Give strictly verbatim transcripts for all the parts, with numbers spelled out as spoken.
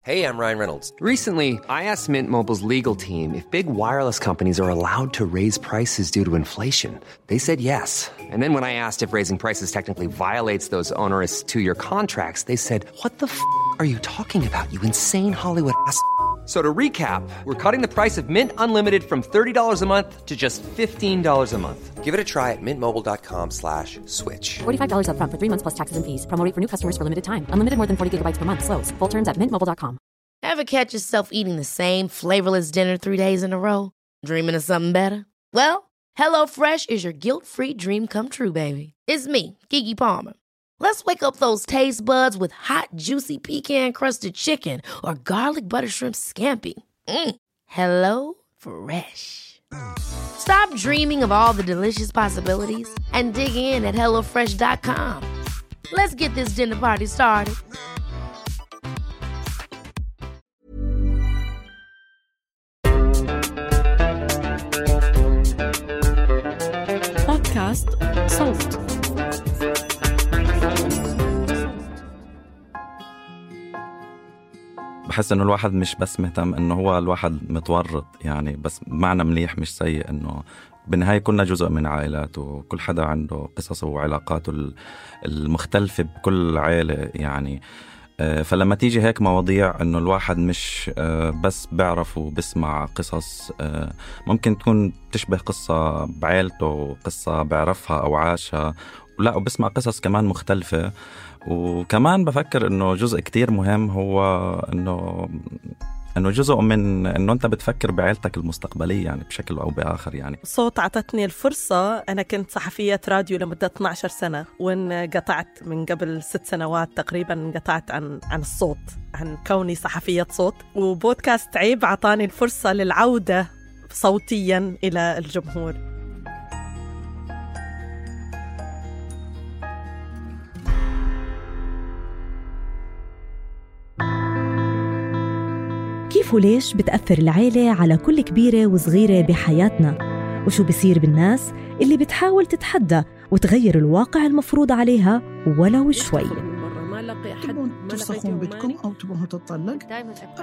Hey, I'm Ryan Reynolds. Recently, I asked Mint Mobile's legal team if big wireless companies are allowed to raise prices due to inflation. They said yes. And then when I asked if raising prices technically violates those onerous two-year contracts, they said, what the f*** are you talking about, you insane Hollywood ass f- So to recap, we're cutting the price of Mint Unlimited from thirty dollars a month to just fifteen dollars a month. Give it a try at mintmobile.com slash switch. forty-five dollars up front for three months plus taxes and fees. Promo rate for new customers for limited time. Unlimited more than forty gigabytes per month. Slows full terms at mint mobile dot com. Ever catch yourself eating the same flavorless dinner three days in a row? Dreaming of something better? Well, HelloFresh is your guilt-free dream come true, baby. It's me, Keke Palmer. Let's wake up those taste buds with hot, juicy pecan-crusted chicken or garlic butter shrimp scampi. Mm. Hello Fresh. Stop dreaming of all the delicious possibilities and dig in at hello fresh dot com. Let's get this dinner party started. بودكاست صوت. بحس إنه الواحد مش بس مهتم إنه هو الواحد متورط يعني، بس معنى مليح مش سيء، إنه بالنهاية كلنا جزء من عائلات وكل حدا عنده قصصه وعلاقاته المختلفة بكل عائلة يعني. فلما تيجي هيك مواضيع إنه الواحد مش بس بعرف وبسمع قصص ممكن تكون تشبه قصة بعائلته، قصة بعرفها أو عاشها، ولا وبسمع قصص كمان مختلفة. وكمان بفكر إنه جزء كتير مهم هو إنه إنه جزء من إنه أنت بتفكر بعائلتك المستقبلية يعني بشكل أو بآخر يعني. صوت عطتني الفرصة. أنا كنت صحفية راديو لمدة اثنتي عشرة سنة، وانقطعت من قبل ست سنوات تقريبا، انقطعت عن عن الصوت، عن كوني صحفية صوت. وبودكاست عيب عطاني الفرصة للعودة صوتيا إلى الجمهور. كيف وليش بتأثر العيلة على كل كبيرة وصغيرة بحياتنا؟ وشو بصير بالناس اللي بتحاول تتحدى وتغير الواقع المفروض عليها ولو شوي؟ تبون ترسخون بيتكم أو تبون تطلق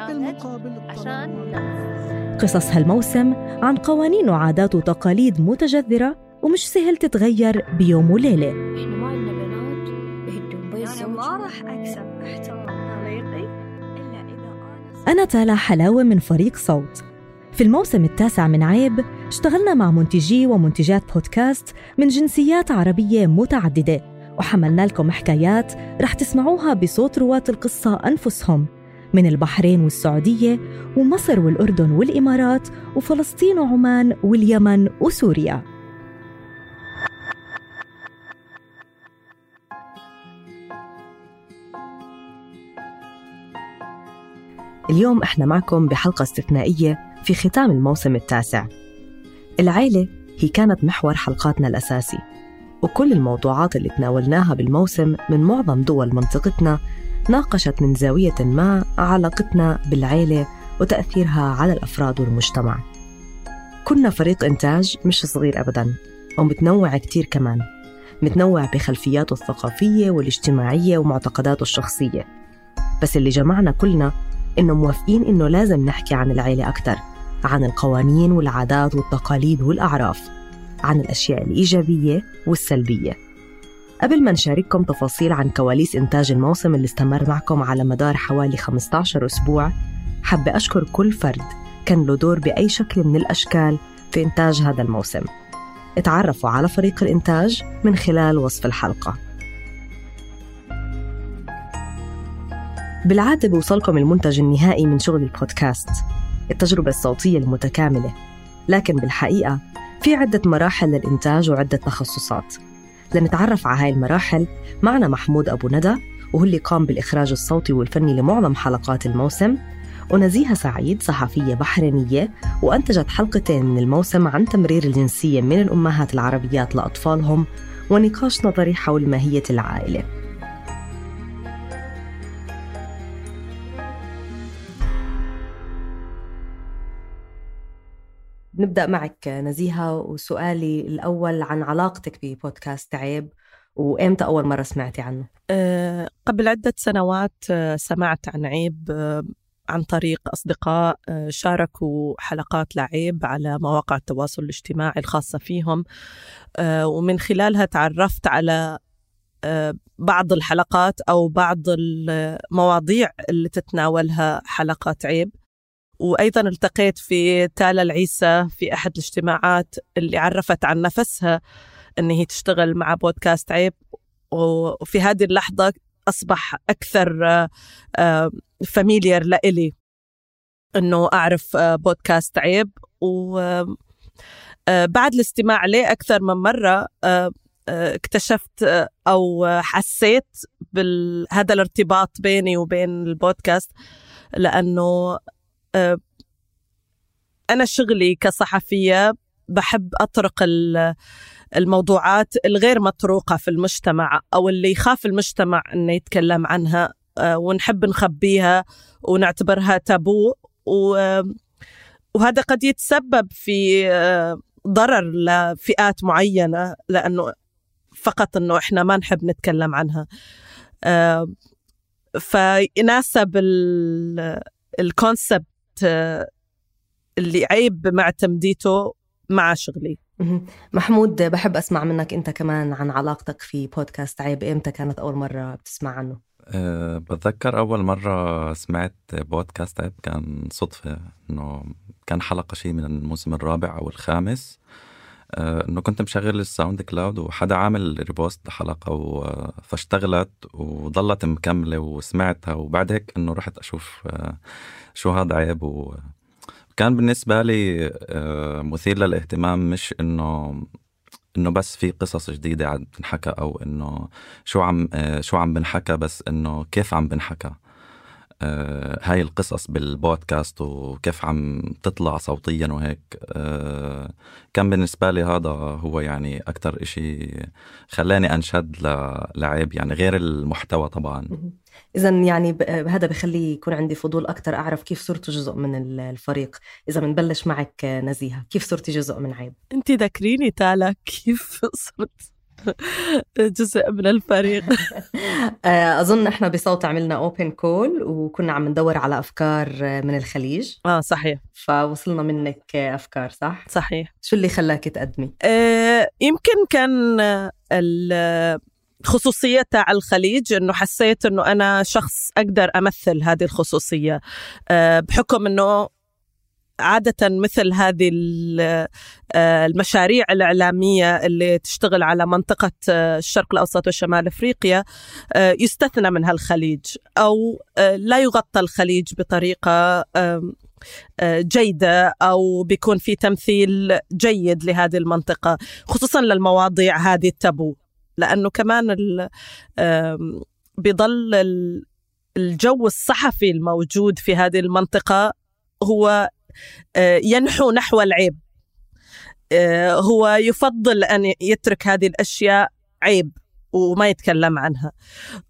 بالمقابل عشان قصص هالموسم عن قوانين وعادات وتقاليد متجذرة ومش سهل تتغير بيوم وليلة. إحنا ما عندنا بنات بهدون بيت، أنا ما راح أكسب احترام طريقي. أنا تالا حلاوة من فريق صوت. في الموسم التاسع من عيب اشتغلنا مع منتجي ومنتجات بودكاست من جنسيات عربية متعددة، وحملنا لكم حكايات رح تسمعوها بصوت رواة القصة أنفسهم من البحرين والسعودية ومصر والأردن والإمارات وفلسطين وعمان واليمن وسوريا. اليوم احنا معكم بحلقة استثنائية في ختام الموسم التاسع. العيلة هي كانت محور حلقاتنا الأساسي، وكل الموضوعات اللي تناولناها بالموسم من معظم دول منطقتنا ناقشت من زاوية ما علاقتنا بالعيلة وتأثيرها على الأفراد والمجتمع. كنا فريق إنتاج مش صغير أبداً، ومتنوع كتير كمان، متنوع بخلفياته الثقافية والاجتماعية ومعتقداته الشخصية. بس اللي جمعنا كلنا إنه موافقين إنه لازم نحكي عن العيلة أكتر، عن القوانين والعادات والتقاليد والأعراف، عن الأشياء الإيجابية والسلبية. قبل ما نشارككم تفاصيل عن كواليس إنتاج الموسم اللي استمر معكم على مدار حوالي خمسة عشر أسبوع، حابة أشكر كل فرد كان له دور بأي شكل من الأشكال في إنتاج هذا الموسم. اتعرفوا على فريق الإنتاج من خلال وصف الحلقة. بالعادة بيوصلكم المنتج النهائي من شغل البودكاست، التجربة الصوتية المتكاملة، لكن بالحقيقة في عدة مراحل للإنتاج وعدة تخصصات. لنتعرف على هاي المراحل معنا محمود أبو ندى، وهو اللي قام بالإخراج الصوتي والفني لمعظم حلقات الموسم، ونزيهة سعيد صحفية بحرينية وأنتجت حلقتين من الموسم عن تمرير الجنسية من الأمهات العربيات لأطفالهم ونقاش نظري حول ماهية العائلة. نبدأ معك نزيهة، وسؤالي الأول عن علاقتك ببودكاست عيب، وإمتى أول مرة سمعتي عنه؟ أه قبل عدة سنوات سمعت عن عيب عن طريق أصدقاء شاركوا حلقات لعيب على مواقع التواصل الاجتماعي الخاصة فيهم، ومن خلالها تعرفت على بعض الحلقات أو بعض المواضيع اللي تتناولها حلقات عيب. وأيضا التقيت في تالا العيسى في أحد الاجتماعات اللي عرفت عن نفسها أن هي تشتغل مع بودكاست عيب، وفي هذه اللحظة أصبح أكثر فاميليار لإلي أنه أعرف بودكاست عيب. وبعد الاستماع له أكثر من مرة اكتشفت أو حسيت بهذا الارتباط بيني وبين البودكاست، لأنه أنا شغلي كصحفية بحب أطرق الموضوعات الغير مطروقة في المجتمع أو اللي يخاف المجتمع أنه يتكلم عنها، ونحب نخبيها ونعتبرها تابو، وهذا قد يتسبب في ضرر لفئات معينة لأنه فقط أنه إحنا ما نحب نتكلم عنها. فيناسب الكونسبت اللي عيب مع تمديته مع شغلي. محمود، بحب أسمع منك أنت كمان عن علاقتك في بودكاست عيب. إمتى كانت أول مرة بتسمع عنه؟ أه بتذكر أول مرة سمعت بودكاست عيب كان صدفة، إنه كان حلقة شيء من الموسم الرابع أو الخامس، أه إنه كنت مشغل الساوند كلاود وحدا عامل ريبوست لحلقة فاشتغلت وظلت مكملة وسمعتها، وبعد هيك إنه رحت أشوف أه شو هذا عيب. و كان بالنسبة لي مثير للاهتمام، مش إنه إنه بس في قصص جديدة عم بنحكى أو إنه شو عم شو عم بنحكى، بس إنه كيف عم بنحكى هاي القصص بالبودكاست وكيف عم تطلع صوتيا وهيك. كان بالنسبة لي هذا هو يعني أكتر إشي خلاني أنشد لعيب، يعني غير المحتوى طبعا. إذن يعني هذا بخلي يكون عندي فضول أكتر أعرف كيف صرت جزء من الفريق. إذا منبلش معك نزيهة، كيف صرتي جزء من عيب؟ أنتي ذكريني تالا كيف صرت جزء من الفريق. أظن إحنا بصوت عملنا أوبن كول وكنا عم ندور على أفكار من الخليج. آه صحيح. فوصلنا منك أفكار. صح؟ صحيح. شو اللي خلاك تقدمي؟ آه يمكن كان الخصوصية تاع الخليج، إنه حسيت إنه أنا شخص أقدر أمثل هذه الخصوصية، آه بحكم إنه عادة مثل هذه المشاريع الإعلامية اللي تشتغل على منطقة الشرق الأوسط وشمال أفريقيا يستثنى منها الخليج، أو لا يغطى الخليج بطريقة جيدة، أو بيكون في تمثيل جيد لهذه المنطقة، خصوصا للمواضيع هذه التابو، لأنه كمان بيضل الجو الصحفي الموجود في هذه المنطقة هو ينحو نحو العيب. هو يفضل أن يترك هذه الأشياء عيب وما يتكلم عنها،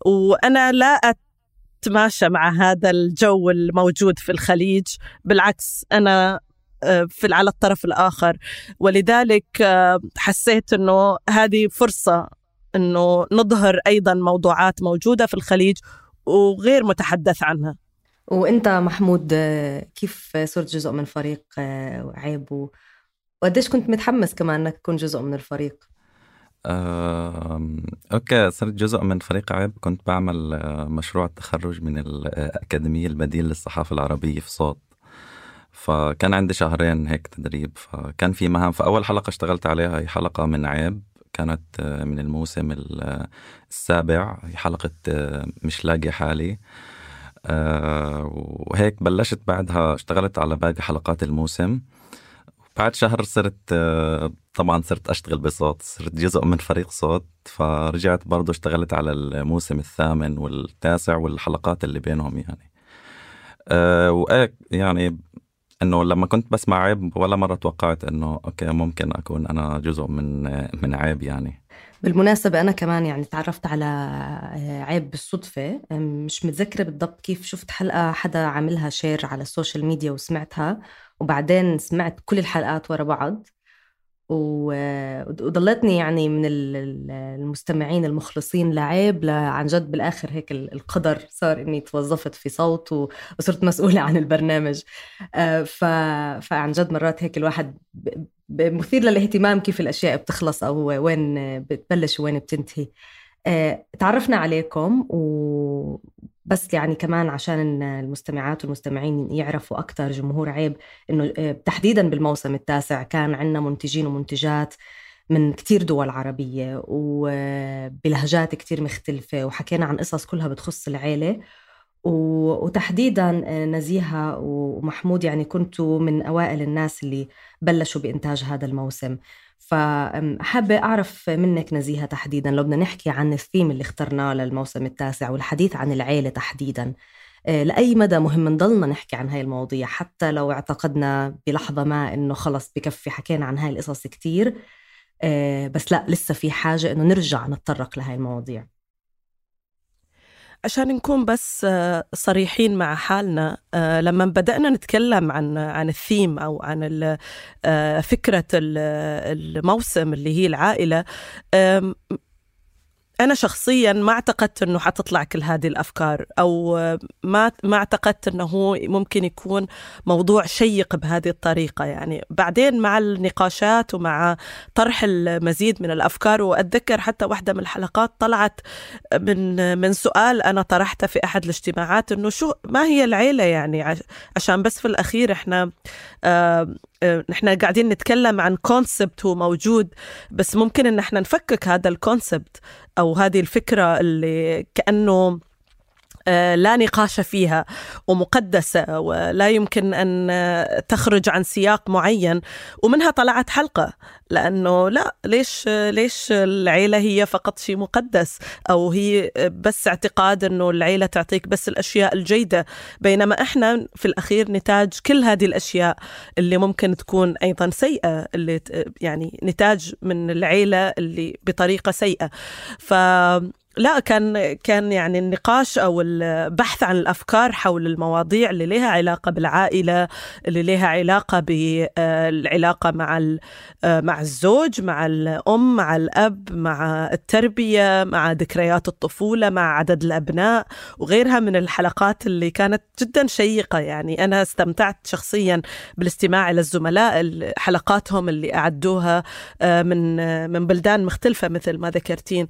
وأنا لا أتماشى مع هذا الجو الموجود في الخليج، بالعكس أنا في على الطرف الآخر. ولذلك حسيت أنه هذه فرصة أنه نظهر أيضا موضوعات موجودة في الخليج وغير متحدث عنها. وانت محمود كيف صرت جزء من فريق عيب، وقديش كنت متحمس كمان انك تكون جزء من الفريق؟ أه... اوكي، صرت جزء من فريق عيب. كنت بعمل مشروع التخرج من الأكاديمية البديل للصحافة العربية في صوت، فكان عندي شهرين هيك تدريب، فكان في مهام. فأول حلقة اشتغلت عليها هي حلقة من عيب، كانت من الموسم السابع، هي حلقة مش لاقي حالي. أه وهيك بلشت بعدها اشتغلت على باقي حلقات الموسم. بعد شهر صرت أه طبعا صرت أشتغل بصوت، صرت جزء من فريق صوت، فرجعت برضو اشتغلت على الموسم الثامن والتاسع والحلقات اللي بينهم يعني. أه وإيه يعني إنه لما كنت بسمع عيب ولا مرة توقعت إنه أوكي ممكن أكون أنا جزء من من عيب يعني. بالمناسبة أنا كمان يعني تعرفت على عيب بالصدفة، مش متذكرة بالضبط كيف، شفت حلقة حدا عاملها شير على السوشيال ميديا وسمعتها، وبعدين سمعت كل الحلقات ورا بعض، وضلتني يعني من المستمعين المخلصين لعيب عن جد. بالآخر هيك القدر صار إني توظفت في صوت وصرت مسؤولة عن البرنامج. فعن جد مرات هيك الواحد مثير للاهتمام كيف الأشياء بتخلص أو وين بتبلش وين بتنتهي. تعرفنا عليكم وبس يعني كمان عشان المستمعات والمستمعين يعرفوا أكتر جمهور عيب، إنه تحديداً بالموسم التاسع كان عنا منتجين ومنتجات من كتير دول عربية وبلهجات كتير مختلفة، وحكينا عن قصص كلها بتخص العيلة. وتحديداً نزيهة ومحمود يعني كنتوا من أوائل الناس اللي بلشوا بإنتاج هذا الموسم. فحابة أعرف منك نزيهة تحديداً لو بدنا نحكي عن الثيم اللي اخترناه للموسم التاسع والحديث عن العيلة تحديداً، لأي مدى مهم نضلنا نحكي عن هاي المواضيع حتى لو اعتقدنا بلحظة ما إنه خلص بكفي حكينا عن هاي القصص كتير، بس لا لسه في حاجة إنه نرجع نتطرق لهاي المواضيع. عشان نكون بس صريحين مع حالنا، لما بدأنا نتكلم عن عن الثيم أو عن فكرة الموسم اللي هي العائلة، أنا شخصياً ما اعتقدت أنه حتطلع كل هذه الأفكار، أو ما ما اعتقدت أنه ممكن يكون موضوع شيق بهذه الطريقة. يعني بعدين مع النقاشات ومع طرح المزيد من الأفكار، وأتذكر حتى واحدة من الحلقات طلعت من من سؤال أنا طرحته في أحد الاجتماعات، أنه شو ما هي العيلة يعني، عشان بس في الأخير إحنا آه نحن قاعدين نتكلم عن كونسبت هو موجود، بس ممكن ان احنا نفكك هذا الكونسبت او هذه الفكرة اللي كأنه لا نقاش فيها ومقدسة ولا يمكن أن تخرج عن سياق معين، ومنها طلعت حلقة. لأنه لا، ليش ليش العيلة هي فقط شيء مقدس، أو هي بس اعتقاد أنه العيلة تعطيك بس الأشياء الجيدة، بينما إحنا في الأخير نتاج كل هذه الأشياء اللي ممكن تكون أيضا سيئة، اللي يعني نتاج من العيلة اللي بطريقة سيئة. ف لا كان كان يعني النقاش أو البحث عن الأفكار حول المواضيع اللي لها علاقة بالعائلة، اللي لها علاقة بالعلاقة مع مع الزوج، مع الأم، مع الأب، مع التربية، مع ذكريات الطفولة، مع عدد الأبناء وغيرها من الحلقات اللي كانت جدا شيقة. يعني أنا استمتعت شخصيا بالاستماع إلى الزملاء حلقاتهم اللي أعدوها من من بلدان مختلفة مثل ما ذكرتين.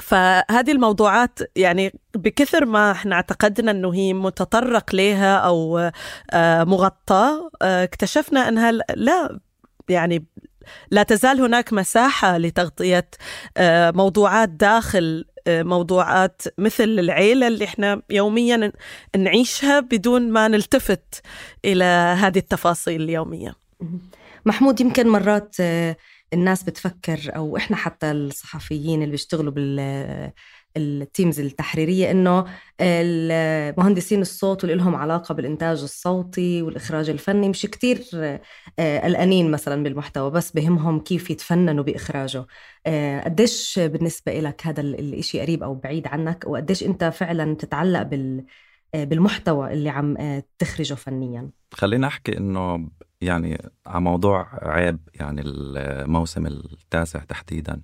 فهذه الموضوعات يعني بكثر ما احنا اعتقدنا انه هي متطرق لها او مغطى، اكتشفنا انها لا، يعني لا تزال هناك مساحة لتغطية موضوعات داخل موضوعات مثل العيلة اللي احنا يوميا نعيشها بدون ما نلتفت إلى هذه التفاصيل اليومية. محمود، يمكن مرات الناس بتفكر أو إحنا حتى الصحفيين اللي بيشتغلوا بالتيمز التحريرية إنه المهندسين الصوت واللي لهم علاقة بالإنتاج الصوتي والإخراج الفني مش كتير قلقانين مثلا بالمحتوى، بس بهمهم كيف يتفننوا بإخراجه. قديش بالنسبة لك هذا الإشي قريب أو بعيد عنك، وقديش أنت فعلا تتعلق بال بالمحتوى اللي عم تخرجه فنيا؟ خلينا أحكي إنه يعني على موضوع عيب، يعني الموسم التاسع تحديدا،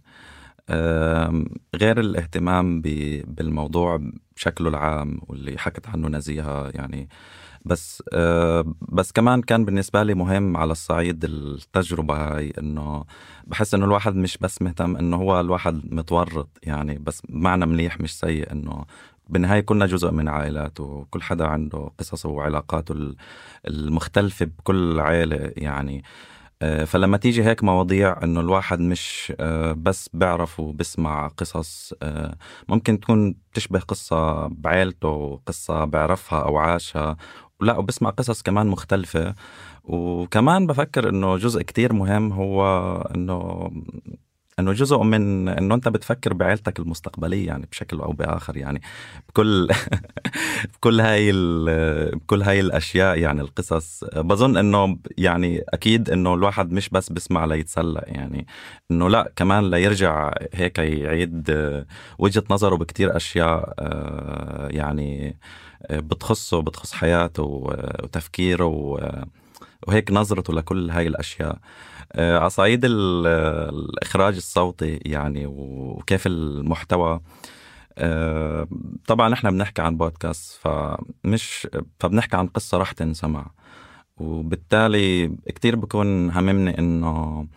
غير الاهتمام بالموضوع بشكله العام واللي حكت عنه نزيهة يعني، بس بس كمان كان بالنسبة لي مهم على الصعيد التجربة هاي، إنه بحس إنه الواحد مش بس مهتم إنه هو الواحد متورط يعني، بس معنى مليح مش سيء، إنه بالنهاية كنا جزء من عائلات وكل حدا عنده قصصه وعلاقاته المختلفة بكل عائلة يعني. فلما تيجي هيك مواضيع إنه الواحد مش بس بعرف وبسمع قصص ممكن تكون تشبه قصة بعائلته، قصة بعرفها أو عاشها، لا وبسمع قصص كمان مختلفة. وكمان بفكر إنه جزء كتير مهم هو إنه إنه جزء من إنه أنت بتفكر بعائلتك المستقبلية يعني بشكل أو بآخر، يعني بكل بكل هاي بكل هاي الأشياء يعني القصص. بظن إنه يعني أكيد إنه الواحد مش بس بسمع ليتسلى يعني، إنه لا كمان ليرجع هيك يعيد وجهة نظره بكتير أشياء يعني بتخصه، بتخص حياته وتفكيره وهيك نظرته لكل هاي الأشياء. على صعيد الإخراج الصوتي يعني وكيف المحتوى، طبعا احنا بنحكي عن بودكاست، فمش فبنحكي عن قصة رح تنسمع، وبالتالي كتير بكون هممني انه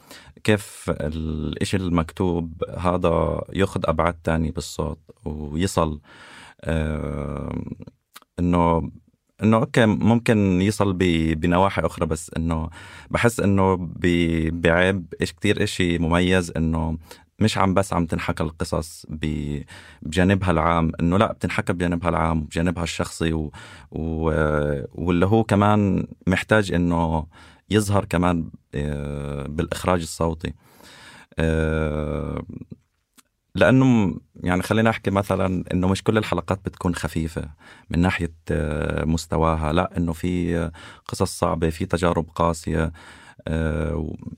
كيف الاشي المكتوب هذا ياخد ابعاد تاني بالصوت ويصل انه انه اوكي ممكن يصل بنواحي اخرى، بس انه بحس انه بعيب ايش كتير اشي مميز انه مش عم بس عم تنحكى القصص بجانبها العام، انه لا بتنحكى بجانبها العام وبجانبها الشخصي و... و... واللي هو كمان محتاج انه يظهر كمان بالاخراج الصوتي. لانه يعني خلينا احكي مثلا انه مش كل الحلقات بتكون خفيفة من ناحية مستواها، لا انه في قصص صعبة، في تجارب قاسية،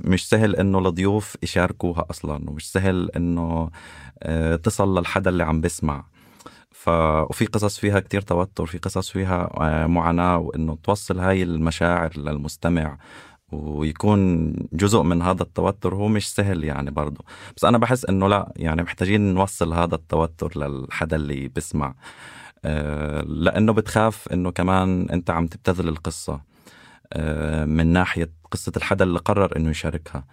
مش سهل انه الضيوف يشاركوها اصلا، ومش سهل انه تصل للحدا اللي عم بسمع. ف... وفي قصص فيها كتير توتر، في قصص فيها معاناة، وانه توصل هاي المشاعر للمستمع ويكون جزء من هذا التوتر هو مش سهل يعني برضو. بس انا بحس انه لا، يعني محتاجين نوصل هذا التوتر للحدا اللي بسمع، لانه بتخاف انه كمان انت عم تبتذل القصة من ناحية قصة الحدا اللي قرر انه يشاركها،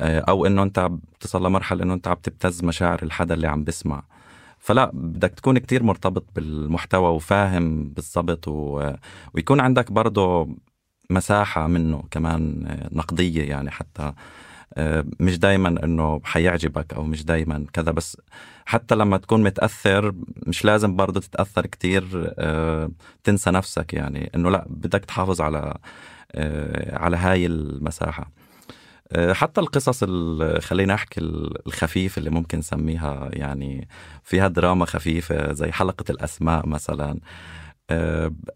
او انه انت بتصل لمرحلة انه انت عم تبتز مشاعر الحدا اللي عم بسمع. فلا، بدك تكون كتير مرتبط بالمحتوى وفاهم بالضبط، و... ويكون عندك برضو مساحة منه كمان نقدية، يعني حتى مش دايما انه حيعجبك او مش دايما كذا، بس حتى لما تكون متأثر مش لازم برضو تتأثر كتير تنسى نفسك، يعني انه لا، بدك تحافظ على على هاي المساحة. حتى القصص خلينا أحكي الخفيف اللي ممكن نسميها يعني فيها دراما خفيفة زي حلقة الأسماء مثلا،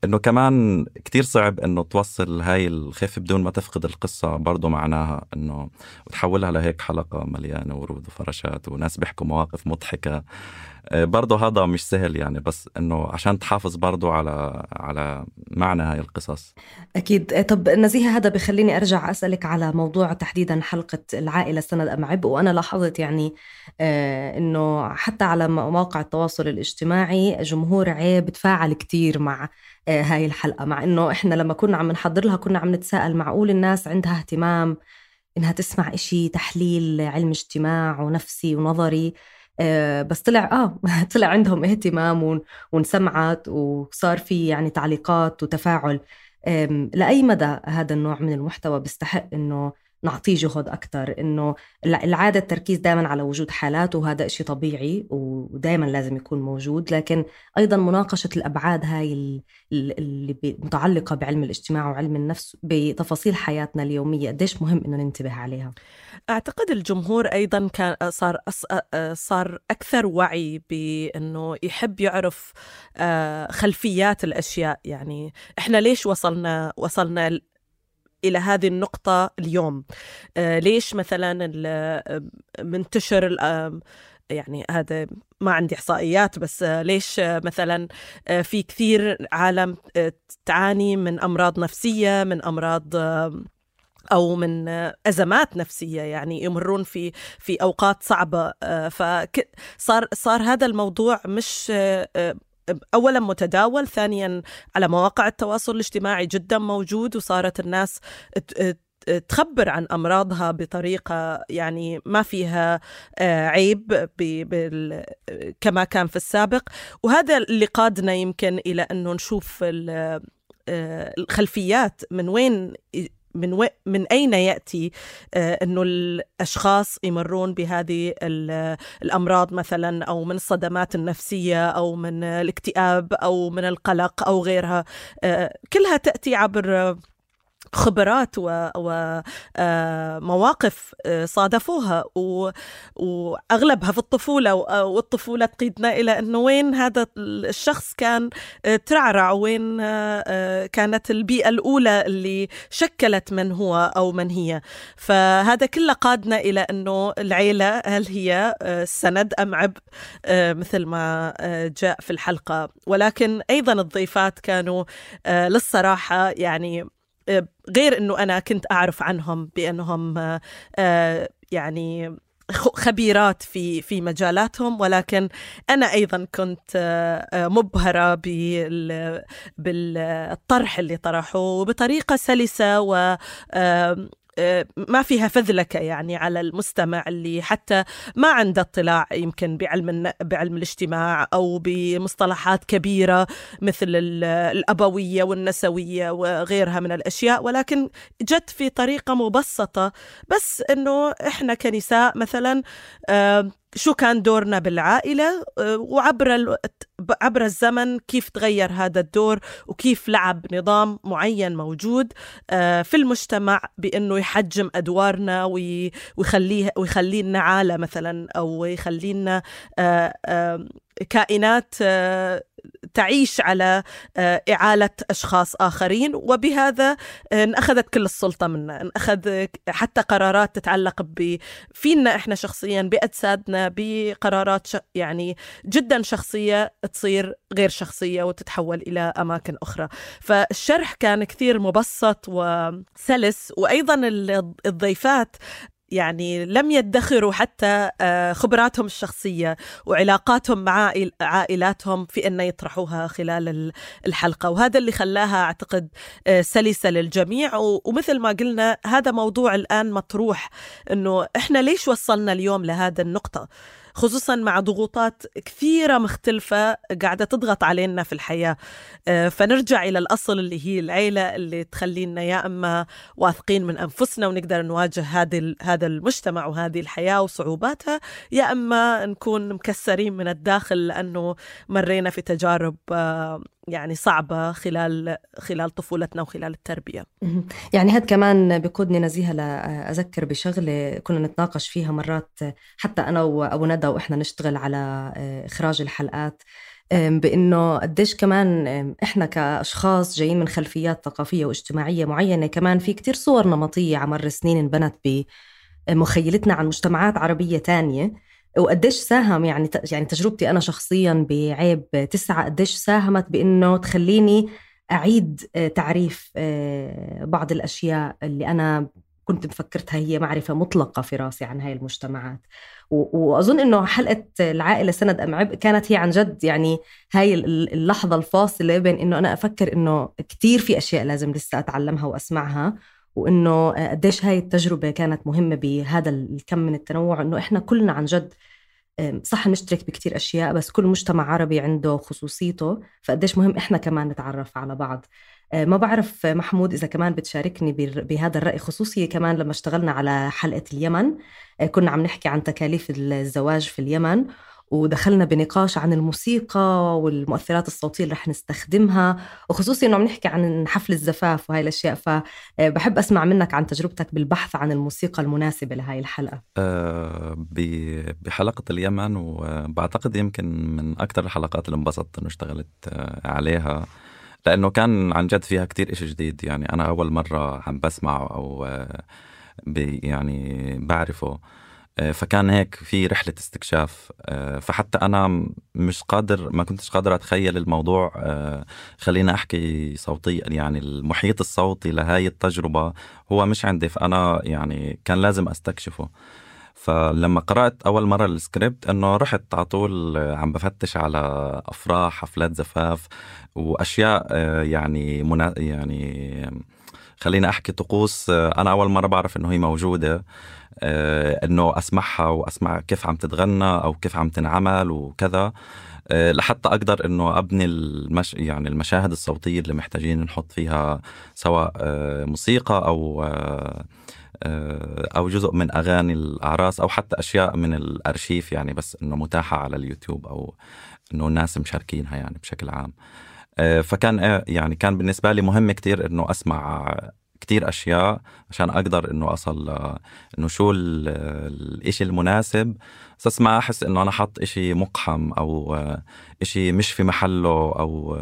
إنه كمان كتير صعب إنه توصل هاي الخفة بدون ما تفقد القصة برضو معناها، إنه وتحولها لهيك حلقة مليانة ورود وفراشات وناس بيحكوا مواقف مضحكة. برضو هذا مش سهل يعني، بس إنه عشان تحافظ برضو على على معنى هاي القصص. أكيد. طب نزيهة، هذا بخليني أرجع أسألك على موضوع تحديدا حلقة العائلة سند أم عبء. وأنا لاحظت يعني آه إنه حتى على مواقع التواصل الاجتماعي جمهور عيب تفاعل كتير مع آه هاي الحلقة، مع إنه إحنا لما كنا عم نحضر لها كنا عم نتساءل معقول الناس عندها اهتمام إنها تسمع إشي تحليل علم اجتماع ونفسي ونظري، آه بس طلع آه طلع عندهم اهتمام ونسمعت وصار في يعني تعليقات وتفاعل. لأي مدى هذا النوع من المحتوى بيستحق إنه نعطيه جهد أكتر؟ إنه العادة التركيز دائما على وجود حالات، وهذا إشي طبيعي ودائما لازم يكون موجود، لكن أيضا مناقشة الأبعاد هاي اللي متعلقة بعلم الاجتماع وعلم النفس بتفاصيل حياتنا اليومية قديش مهم إنه ننتبه عليها. أعتقد الجمهور أيضا كان صار صار أكثر وعي بأنه يحب يعرف خلفيات الأشياء. يعني إحنا ليش وصلنا وصلنا إلى هذه النقطة اليوم؟ ليش مثلا منتشر يعني هذا ما عندي إحصائيات، بس ليش مثلا في كثير عالم تعاني من أمراض نفسية، من أمراض أو من أزمات نفسية، يعني يمرون في في أوقات صعبة. فصار صار هذا الموضوع مش أولا متداول، ثانيا على مواقع التواصل الاجتماعي جدا موجود، وصارت الناس تخبر عن أمراضها بطريقة يعني ما فيها عيب كما كان في السابق. وهذا اللي قادنا يمكن إلى أنه نشوف الخلفيات من وين من و... من أين يأتي آه أنه الأشخاص يمرون بهذه الأمراض مثلا، أو من الصدمات النفسية، أو من الاكتئاب، أو من القلق، أو غيرها. آه كلها تأتي عبر خبرات ومواقف صادفوها، وأغلبها في الطفولة، والطفولة تقيدنا إلى أنه وين هذا الشخص كان ترعرع، وين كانت البيئة الأولى اللي شكلت من هو أو من هي. فهذا كله قادنا إلى أنه العيلة هل هي سند أم عبء مثل ما جاء في الحلقة. ولكن أيضا الضيفات كانوا للصراحة يعني غير أنه أنا كنت أعرف عنهم بأنهم يعني خبيرات في في مجالاتهم، ولكن أنا أيضا كنت مبهرة بالطرح اللي طرحوه بطريقة سلسة و ما فيها فذلكة يعني على المستمع اللي حتى ما عنده اطلاع يمكن بعلم بعلم الاجتماع أو بمصطلحات كبيرة مثل الأبوية والنسوية وغيرها من الأشياء، ولكن جت في طريقة مبسطة، بس إنه إحنا كنساء مثلا شو كان دورنا بالعائلة، وعبر عبر الزمن كيف تغير هذا الدور، وكيف لعب نظام معين موجود في المجتمع بأنه يحجم أدوارنا ويخليه ويخلينا عالة مثلا، أو يخلينا كائنات تعيش على إعالة أشخاص آخرين، وبهذا أخذت كل السلطة منا، أخذ حتى قرارات تتعلق فينا إحنا شخصيا بأجسادنا، بقرارات يعني جدا شخصية تصير غير شخصية وتتحول إلى أماكن أخرى. فالشرح كان كثير مبسط وسلس، وأيضا الضيفات يعني لم يدخروا حتى خبراتهم الشخصية وعلاقاتهم مع عائلاتهم في أن يطرحوها خلال الحلقة، وهذا اللي خلاها أعتقد سلسة للجميع. ومثل ما قلنا هذا موضوع الآن مطروح، أنه إحنا ليش وصلنا اليوم لهذا النقطة، خصوصا مع ضغوطات كثيرة مختلفة قاعدة تضغط علينا في الحياة. فنرجع إلى الأصل اللي هي العيلة، اللي تخلينا يا أما واثقين من أنفسنا ونقدر نواجه هذه هذا المجتمع وهذه الحياة وصعوباتها، يا أما نكون مكسرين من الداخل لأنه مرينا في تجارب يعني صعبة خلال خلال طفولتنا وخلال التربية. يعني هذا كمان بيقودني نزيهة لأذكر بشغلة كنا نتناقش فيها مرات حتى أنا وأبو ندى وإحنا نشتغل على إخراج الحلقات، بأنه قديش كمان إحنا كأشخاص جايين من خلفيات ثقافية واجتماعية معينة، كمان في كتير صور نمطية عمر سنين انبنت بمخيلتنا عن مجتمعات عربية تانية، وقديش ساهم يعني يعني تجربتي أنا شخصياً بعيب تسعة قديش ساهمت بأنه تخليني أعيد تعريف بعض الأشياء اللي أنا كنت مفكرتها هي معرفة مطلقة في راسي عن هاي المجتمعات. وأظن أنه حلقة العائلة سند أم عبء كانت هي عن جد يعني هاي اللحظة الفاصلة بين أنه أنا أفكر أنه كتير في أشياء لازم لسه أتعلمها وأسمعها، وإنه قديش هاي التجربة كانت مهمة بهذا الكم من التنوع، إنه إحنا كلنا عن جد صح نشترك بكتير أشياء، بس كل مجتمع عربي عنده خصوصيته، فقديش مهم إحنا كمان نتعرف على بعض. ما بعرف محمود إذا كمان بتشاركني بهذا الرأي، خصوصي كمان لما اشتغلنا على حلقة اليمن كنا عم نحكي عن تكاليف الزواج في اليمن، ودخلنا بنقاش عن الموسيقى والمؤثرات الصوتية اللي رح نستخدمها، وخصوصي إنه عم نحكي عن حفل الزفاف وهاي الأشياء. فبحب أسمع منك عن تجربتك بالبحث عن الموسيقى المناسبة لهاي الحلقة. أه بحلقة اليمن، وبعتقد يمكن من أكتر الحلقات اللي انبسطت إنه اشتغلت عليها، لأنه كان عن جد فيها كتير إشي جديد. يعني أنا أول مرة عم بسمعه أو يعني بعرفه، فكان هيك في رحلة استكشاف. فحتى أنا مش قادر ما كنتش قادر أتخيل الموضوع. خلينا أحكي صوتيا، يعني المحيط الصوتي لهاي التجربة هو مش عندي، فأنا يعني كان لازم أستكشفه. فلما قرأت أول مرة السكريبت أنه رحت على طول عم بفتش على أفراح، حفلات زفاف، وأشياء يعني منا يعني خلينا أحكي طقوس أنا أول مرة بعرف أنه هي موجودة، أنه أسمعها وأسمع كيف عم تتغنى أو كيف عم تنعمل وكذا، لحتى أقدر أنه أبني المش يعني المشاهد الصوتية اللي محتاجين نحط فيها سواء موسيقى أو أو جزء من أغاني الأعراس أو حتى أشياء من الأرشيف، يعني بس أنه متاحة على اليوتيوب أو أنه الناس مشاركينها يعني بشكل عام. فكان يعني كان بالنسبة لي مهم كتير أنه أسمع كتير أشياء عشان أقدر أنه أصل أنه شو الإشي المناسب، بس ما أحس أنه أنا حط إشي مقحم أو إشي مش في محله أو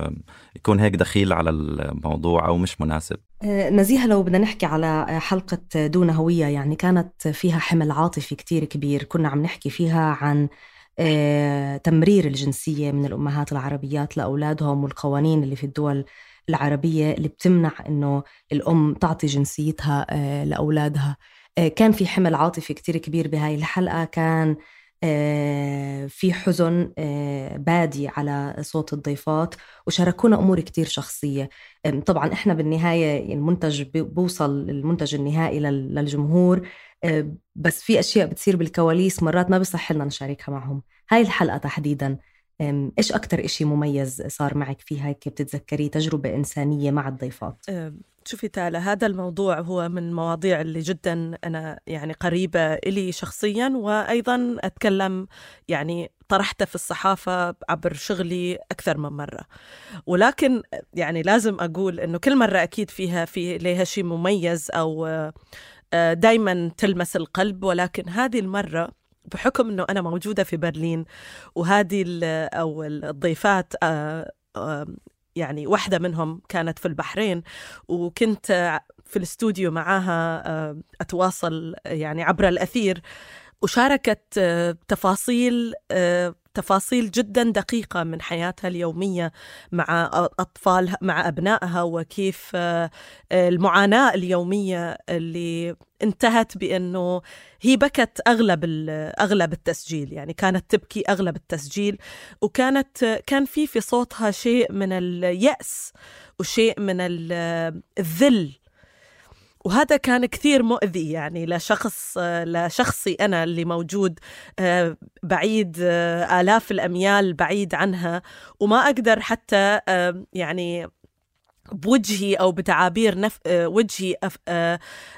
يكون هيك دخيل على الموضوع أو مش مناسب. نزيهة، لو بدنا نحكي على حلقة دون هوية، يعني كانت فيها حمل عاطفي كتير كبير، كنا عم نحكي فيها عن تمرير الجنسية من الأمهات العربيات لأولادهم والقوانين اللي في الدول العربية اللي بتمنع إنه الأم تعطي جنسيتها لأولادها. كان في حمل عاطفي كتير كبير بهاي الحلقة، كان في حزن بادي على صوت الضيفات، وشاركونا أمور كتير شخصية. طبعا إحنا بالنهاية المنتج بوصل المنتج النهائي للجمهور، بس في أشياء بتصير بالكواليس مرات ما بيصح لنا نشاركها معهم. هاي الحلقة تحديدا إيش أكتر إشي مميز صار معك فيها هيك بتتذكري تجربة إنسانية مع الضيفات؟ شوفي تالا، هذا الموضوع هو من المواضيع اللي جدا أنا يعني قريبة إلي شخصيا، وأيضا أتكلم يعني طرحته في الصحافة عبر شغلي أكثر من مرة. ولكن يعني لازم أقول إنه كل مرة أكيد فيها في لها شيء مميز أو دايما تلمس القلب، ولكن هذه المرة بحكم إنه أنا موجودة في برلين وهذه أو الضيفات يعني واحدة منهم كانت في البحرين، وكنت في الاستوديو معاها أتواصل يعني عبر الأثير، وشاركت تفاصيل تفاصيل جدا دقيقة من حياتها اليومية مع أطفالها مع أبنائها، وكيف المعاناة اليومية اللي انتهت بأنه هي بكت أغلب أغلب التسجيل، يعني كانت تبكي أغلب التسجيل، وكانت كان في في صوتها شيء من اليأس وشيء من الذل، وهذا كان كثير مؤذي يعني لشخص لشخصي أنا اللي موجود بعيد آلاف الأميال بعيد عنها، وما أقدر حتى يعني بوجهي أو بتعابير نف... وجهي أف...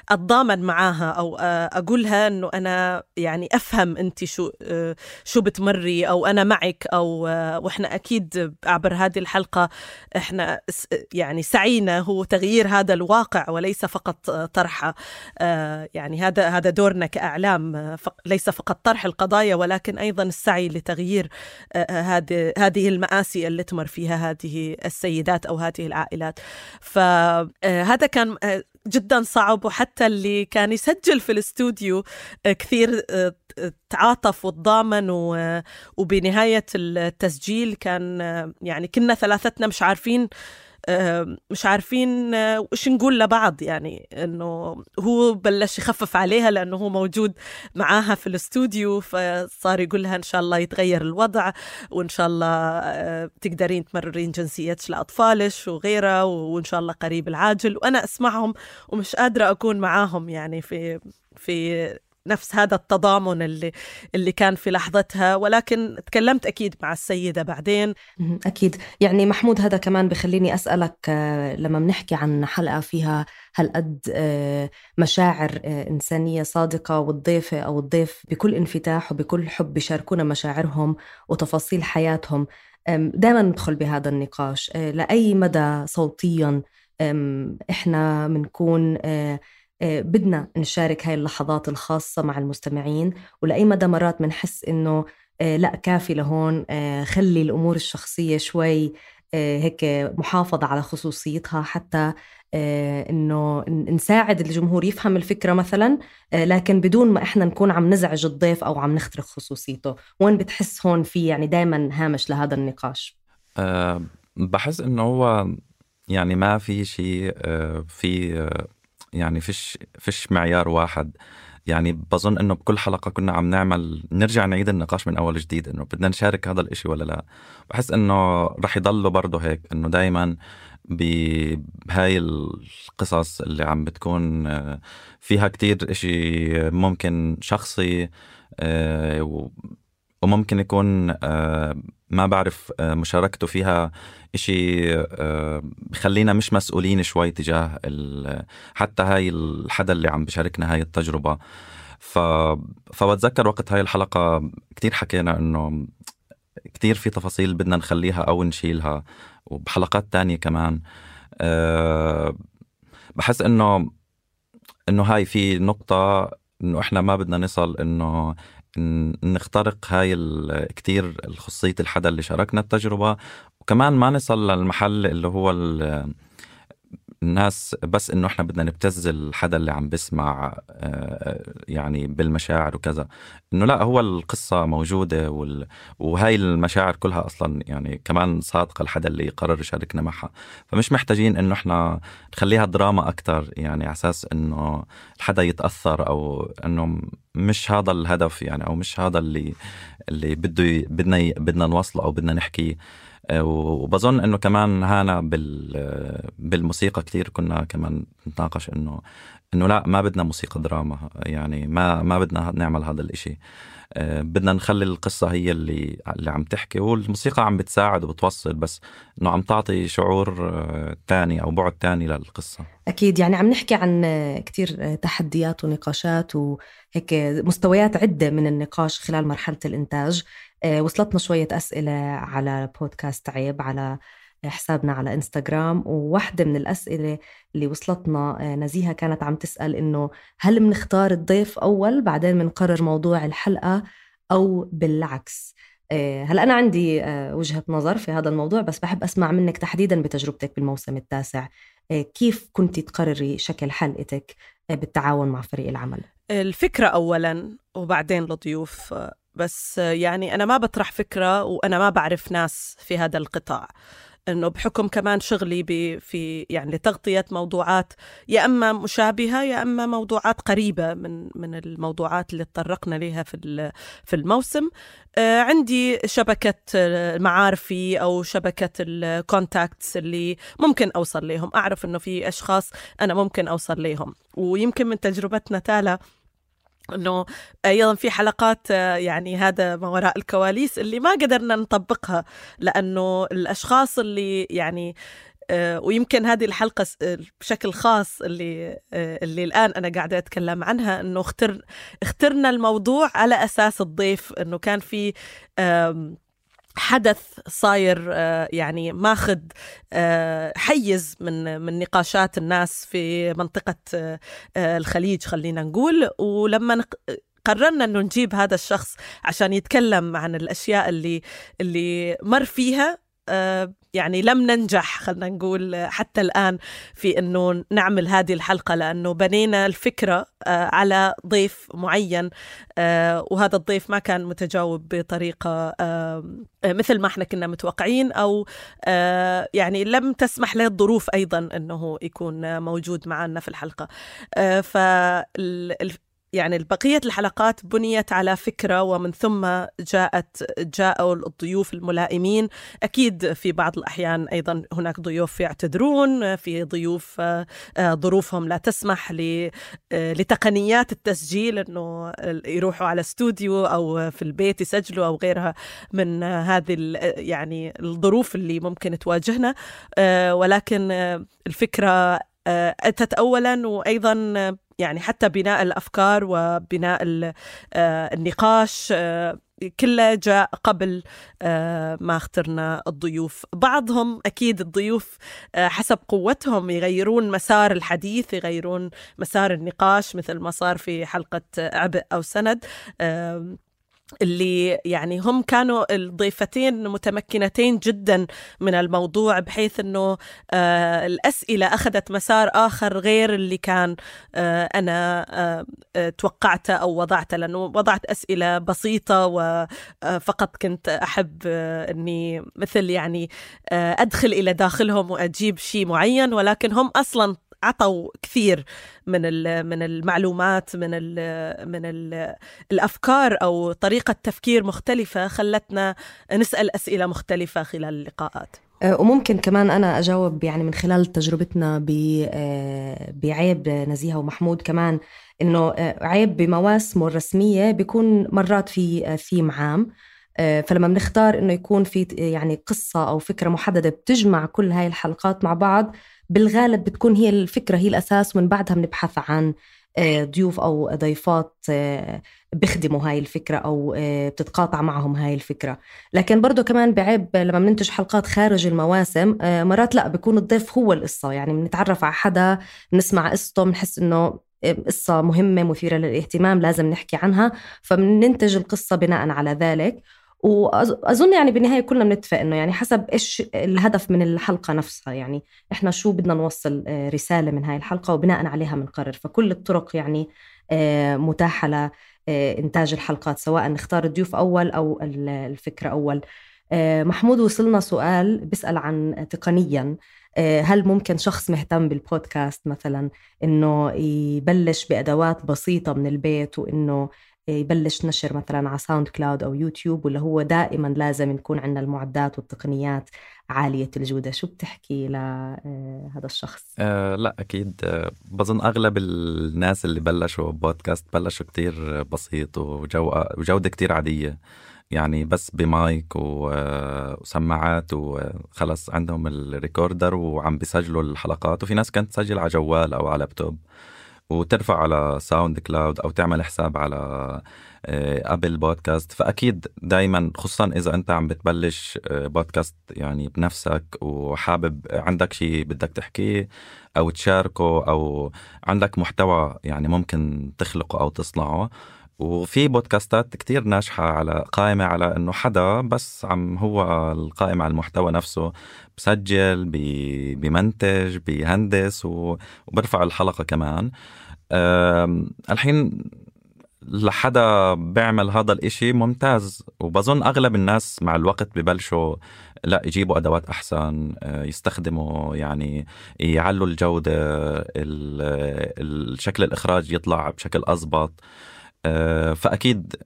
أتضامن معاها أو أقولها أنه أنا يعني أفهم أنت شو شو بتمري أو أنا معك، أو وإحنا أكيد عبر هذه الحلقة إحنا يعني سعينا هو تغيير هذا الواقع وليس فقط طرحه، يعني هذا هذا دورنا كأعلام، ليس فقط طرح القضايا ولكن أيضا السعي لتغيير هذه هذه المآسي اللي تمر فيها هذه السيدات أو هذه العائلات. فهذا كان جدا صعب، وحتى اللي كان يسجل في الاستوديو كثير تعاطف وتضامن، وبنهاية التسجيل كان يعني كنا ثلاثتنا مش عارفين مش عارفين وش نقول لبعض، يعني إنه هو بلش يخفف عليها لأنه هو موجود معاها في الاستوديو، فصار يقولها إن شاء الله يتغير الوضع، وإن شاء الله تقدرين تمررين جنسيتش لأطفالش وغيره، وإن شاء الله قريب العاجل. وأنا أسمعهم ومش قادرة أكون معاهم يعني في في نفس هذا التضامن اللي اللي كان في لحظتها، ولكن تكلمت أكيد مع السيدة بعدين. أكيد. يعني محمود، هذا كمان بخليني أسألك، لما بنحكي عن حلقة فيها هالقد مشاعر إنسانية صادقة، والضيفة أو الضيف بكل انفتاح وبكل حب بيشاركونا مشاعرهم وتفاصيل حياتهم، دائما ندخل بهذا النقاش لأي مدى صوتيا إحنا منكون بدنا نشارك هاي اللحظات الخاصة مع المستمعين، ولأي مدى مرات منحس إنه لا كافي لهون، خلي الأمور الشخصية شوي هيك محافظة على خصوصيتها، حتى إنه نساعد الجمهور يفهم الفكرة مثلا، لكن بدون ما إحنا نكون عم نزعج الضيف أو عم نخترق خصوصيته. وين بتحس هون في يعني دايما هامش لهذا النقاش؟ أه بحس إنه هو يعني ما في شيء أه في أه يعني فيش فيش معيار واحد. يعني بظن إنه بكل حلقة كنا عم نعمل نرجع نعيد النقاش من أول جديد، إنه بدنا نشارك هذا الإشي ولا لا. بحس إنه رح يضله برضه هيك، إنه دايما بهاي القصص اللي عم بتكون فيها كتير إشي ممكن شخصي، وممكن يكون ما بعرف مشاركته فيها إشي بخلينا مش مسؤولين شوي تجاه حتى هاي الحدا اللي عم بشاركنا هاي التجربة. ف... فبتذكر وقت هاي الحلقة كتير حكينا إنه كتير في تفاصيل بدنا نخليها أو نشيلها، وبحلقات تانية كمان. أه بحس إنه إنه هاي في نقطة إنه إحنا ما بدنا نصل إنه نخترق هاي كتير الخصوصية الحدا اللي شاركنا التجربة، وكمان ما نصل للمحل اللي هو الناس بس إنه إحنا بدنا نبتز الحدا اللي عم بسمع يعني بالمشاعر وكذا. إنه لا، هو القصة موجودة وال... وهاي المشاعر كلها أصلا يعني كمان صادقة الحدا اللي قرر يشاركنا معها. فمش محتاجين إنه إحنا نخليها دراما أكتر، يعني على أساس إنه الحدا يتأثر، أو إنه مش هذا الهدف يعني، أو مش هذا اللي اللي بده بدنا بدنا نوصله أو بدنا نحكيه. وبظن إنه كمان هانا بالموسيقى كتير كنا كمان نتناقش إنه إنه لا، ما بدنا موسيقى دراما، يعني ما ما بدنا نعمل هذا الإشي. بدنا نخلي القصة هي اللي اللي عم تحكي، والموسيقى عم بتساعد وبتوصل، بس إنه عم تعطي شعور تاني أو بعد تاني للقصة. أكيد، يعني عم نحكي عن كتير تحديات ونقاشات وهيك مستويات عدة من النقاش خلال مرحلة الإنتاج. وصلتنا شوية أسئلة على بودكاست عيب على حسابنا على إنستغرام، وواحدة من الأسئلة اللي وصلتنا نزيهة كانت عم تسأل إنه هل منختار الضيف أول بعدين منقرر موضوع الحلقة أو بالعكس؟ هل أنا عندي وجهة نظر في هذا الموضوع، بس بحب أسمع منك تحديدا بتجربتك بالموسم التاسع، كيف كنتي تقرري شكل حلقتك بالتعاون مع فريق العمل؟ الفكرة أولا وبعدين الضيوف. بس يعني أنا ما بطرح فكرة وأنا ما بعرف ناس في هذا القطاع، إنه بحكم كمان شغلي في يعني لتغطية موضوعات يا أما مشابهة يا أما موضوعات قريبة من من الموضوعات اللي تطرقنا لها في في الموسم. آه عندي شبكة معارفي أو شبكة الكونتاكتس اللي ممكن أوصل لهم، أعرف إنه في أشخاص أنا ممكن أوصل لهم. ويمكن من تجربتنا تالا أنه أيضا في حلقات يعني هذا ما وراء الكواليس اللي ما قدرنا نطبقها، لأنه الأشخاص اللي يعني ويمكن هذه الحلقة بشكل خاص اللي اللي الآن أنا قاعدة أتكلم عنها، أنه اختر اخترنا الموضوع على أساس الضيف، أنه كان في حدث صاير يعني ماخذ حيز من من نقاشات الناس في منطقة الخليج خلينا نقول. ولما قررنا أنه نجيب هذا الشخص عشان يتكلم عن الأشياء اللي اللي مر فيها، يعني لم ننجح خلنا نقول حتى الآن في أنه نعمل هذه الحلقة، لأنه بنينا الفكرة على ضيف معين، وهذا الضيف ما كان متجاوب بطريقة مثل ما احنا كنا متوقعين، أو يعني لم تسمح له الظروف أيضا أنه يكون موجود معنا في الحلقة. فال يعني البقية الحلقات بنيت على فكرة، ومن ثم جاءت جاءوا الضيوف الملائمين. أكيد في بعض الأحيان أيضا هناك ضيوف يعتذرون، في ضيوف ظروفهم لا تسمح لتقنيات التسجيل أنه يروحوا على استوديو أو في البيت يسجلوا أو غيرها من هذه يعني الظروف اللي ممكن تواجهنا. ولكن الفكرة أتت أولا، وأيضا يعني حتى بناء الأفكار وبناء النقاش كله جاء قبل ما اخترنا الضيوف. بعضهم أكيد الضيوف حسب قوتهم يغيرون مسار الحديث، يغيرون مسار النقاش، مثل ما صار في حلقة عبء أو سند، اللي يعني هم كانوا الضيفتين متمكنتين جدا من الموضوع، بحيث أنه آه الأسئلة أخذت مسار آخر غير اللي كان آه أنا آه توقعته أو وضعته، لأنه وضعت أسئلة بسيطة وفقط كنت أحب آه أني مثل يعني آه أدخل إلى داخلهم وأجيب شيء معين، ولكن هم أصلا عطوا كثير من من المعلومات، من ال من ال الأفكار أو طريقة تفكير مختلفة، خلتنا نسأل أسئلة مختلفة خلال اللقاءات. وممكن كمان أنا أجاوب يعني من خلال تجربتنا بعيب نزيهة ومحمود كمان، إنه عيب بمواسمه الرسمية بيكون مرات في ثيم عام، فلما بنختار إنه يكون في يعني قصة أو فكرة محددة بتجمع كل هاي الحلقات مع بعض، بالغالب بتكون هي الفكرة هي الأساس، ومن بعدها بنبحث عن ضيوف أو ضيفات بيخدموا هاي الفكرة أو بتتقاطع معهم هاي الفكرة. لكن برضو كمان بعيب لما بننتج حلقات خارج المواسم، مرات لا بيكون الضيف هو القصة، يعني بنتعرف على حدا، بنسمع قصته، بنحس إنه قصة مهمة مثيرة للاهتمام لازم نحكي عنها، فبننتج القصة بناء على ذلك. وأظن يعني بالنهاية كلنا بنتفق إنه يعني حسب إيش الهدف من الحلقة نفسها، يعني إحنا شو بدنا نوصل رسالة من هاي الحلقة وبناء عليها منقرر. فكل الطرق يعني متاحة لإنتاج الحلقات، سواء نختار الضيوف أول أو الفكرة أول. محمود، وصلنا سؤال بيسأل عن تقنياً، هل ممكن شخص مهتم بالبودكاست مثلاً إنه يبلش بأدوات بسيطة من البيت وإنه يبلش نشر مثلاً على ساوند كلاود أو يوتيوب، ولا هو دائماً لازم نكون عندنا المعدات والتقنيات عالية الجودة؟ شو بتحكي لهذا الشخص؟ أه لا أكيد. أه بظن أغلب الناس اللي بلشوا بودكاست بلشوا كتير بسيط وجودة كتير عادية، يعني بس بمايك وسماعات وخلص عندهم الريكوردر وعم بيسجلوا الحلقات. وفي ناس كانت تسجل على جوال أو على لابتوب وترفع على ساوند كلاود أو تعمل حساب على أبل بودكاست. فأكيد دايما، خصوصا إذا أنت عم بتبلش بودكاست يعني بنفسك وحابب عندك شيء بدك تحكيه أو تشاركه أو عندك محتوى يعني ممكن تخلقه أو تصنعه. وفي بودكاستات كتير ناجحة على قائمة على إنه حدا بس عم هو القائم على المحتوى نفسه، بسجل بي بيمنتج بيهندس وبرفع الحلقة كمان. الحين لحدا بيعمل هذا الاشي ممتاز، وبظن أغلب الناس مع الوقت ببلشوا لا يجيبوا أدوات أحسن، يستخدموا يعني يعلوا الجودة، الشكل الإخراج يطلع بشكل أضبط. فأكيد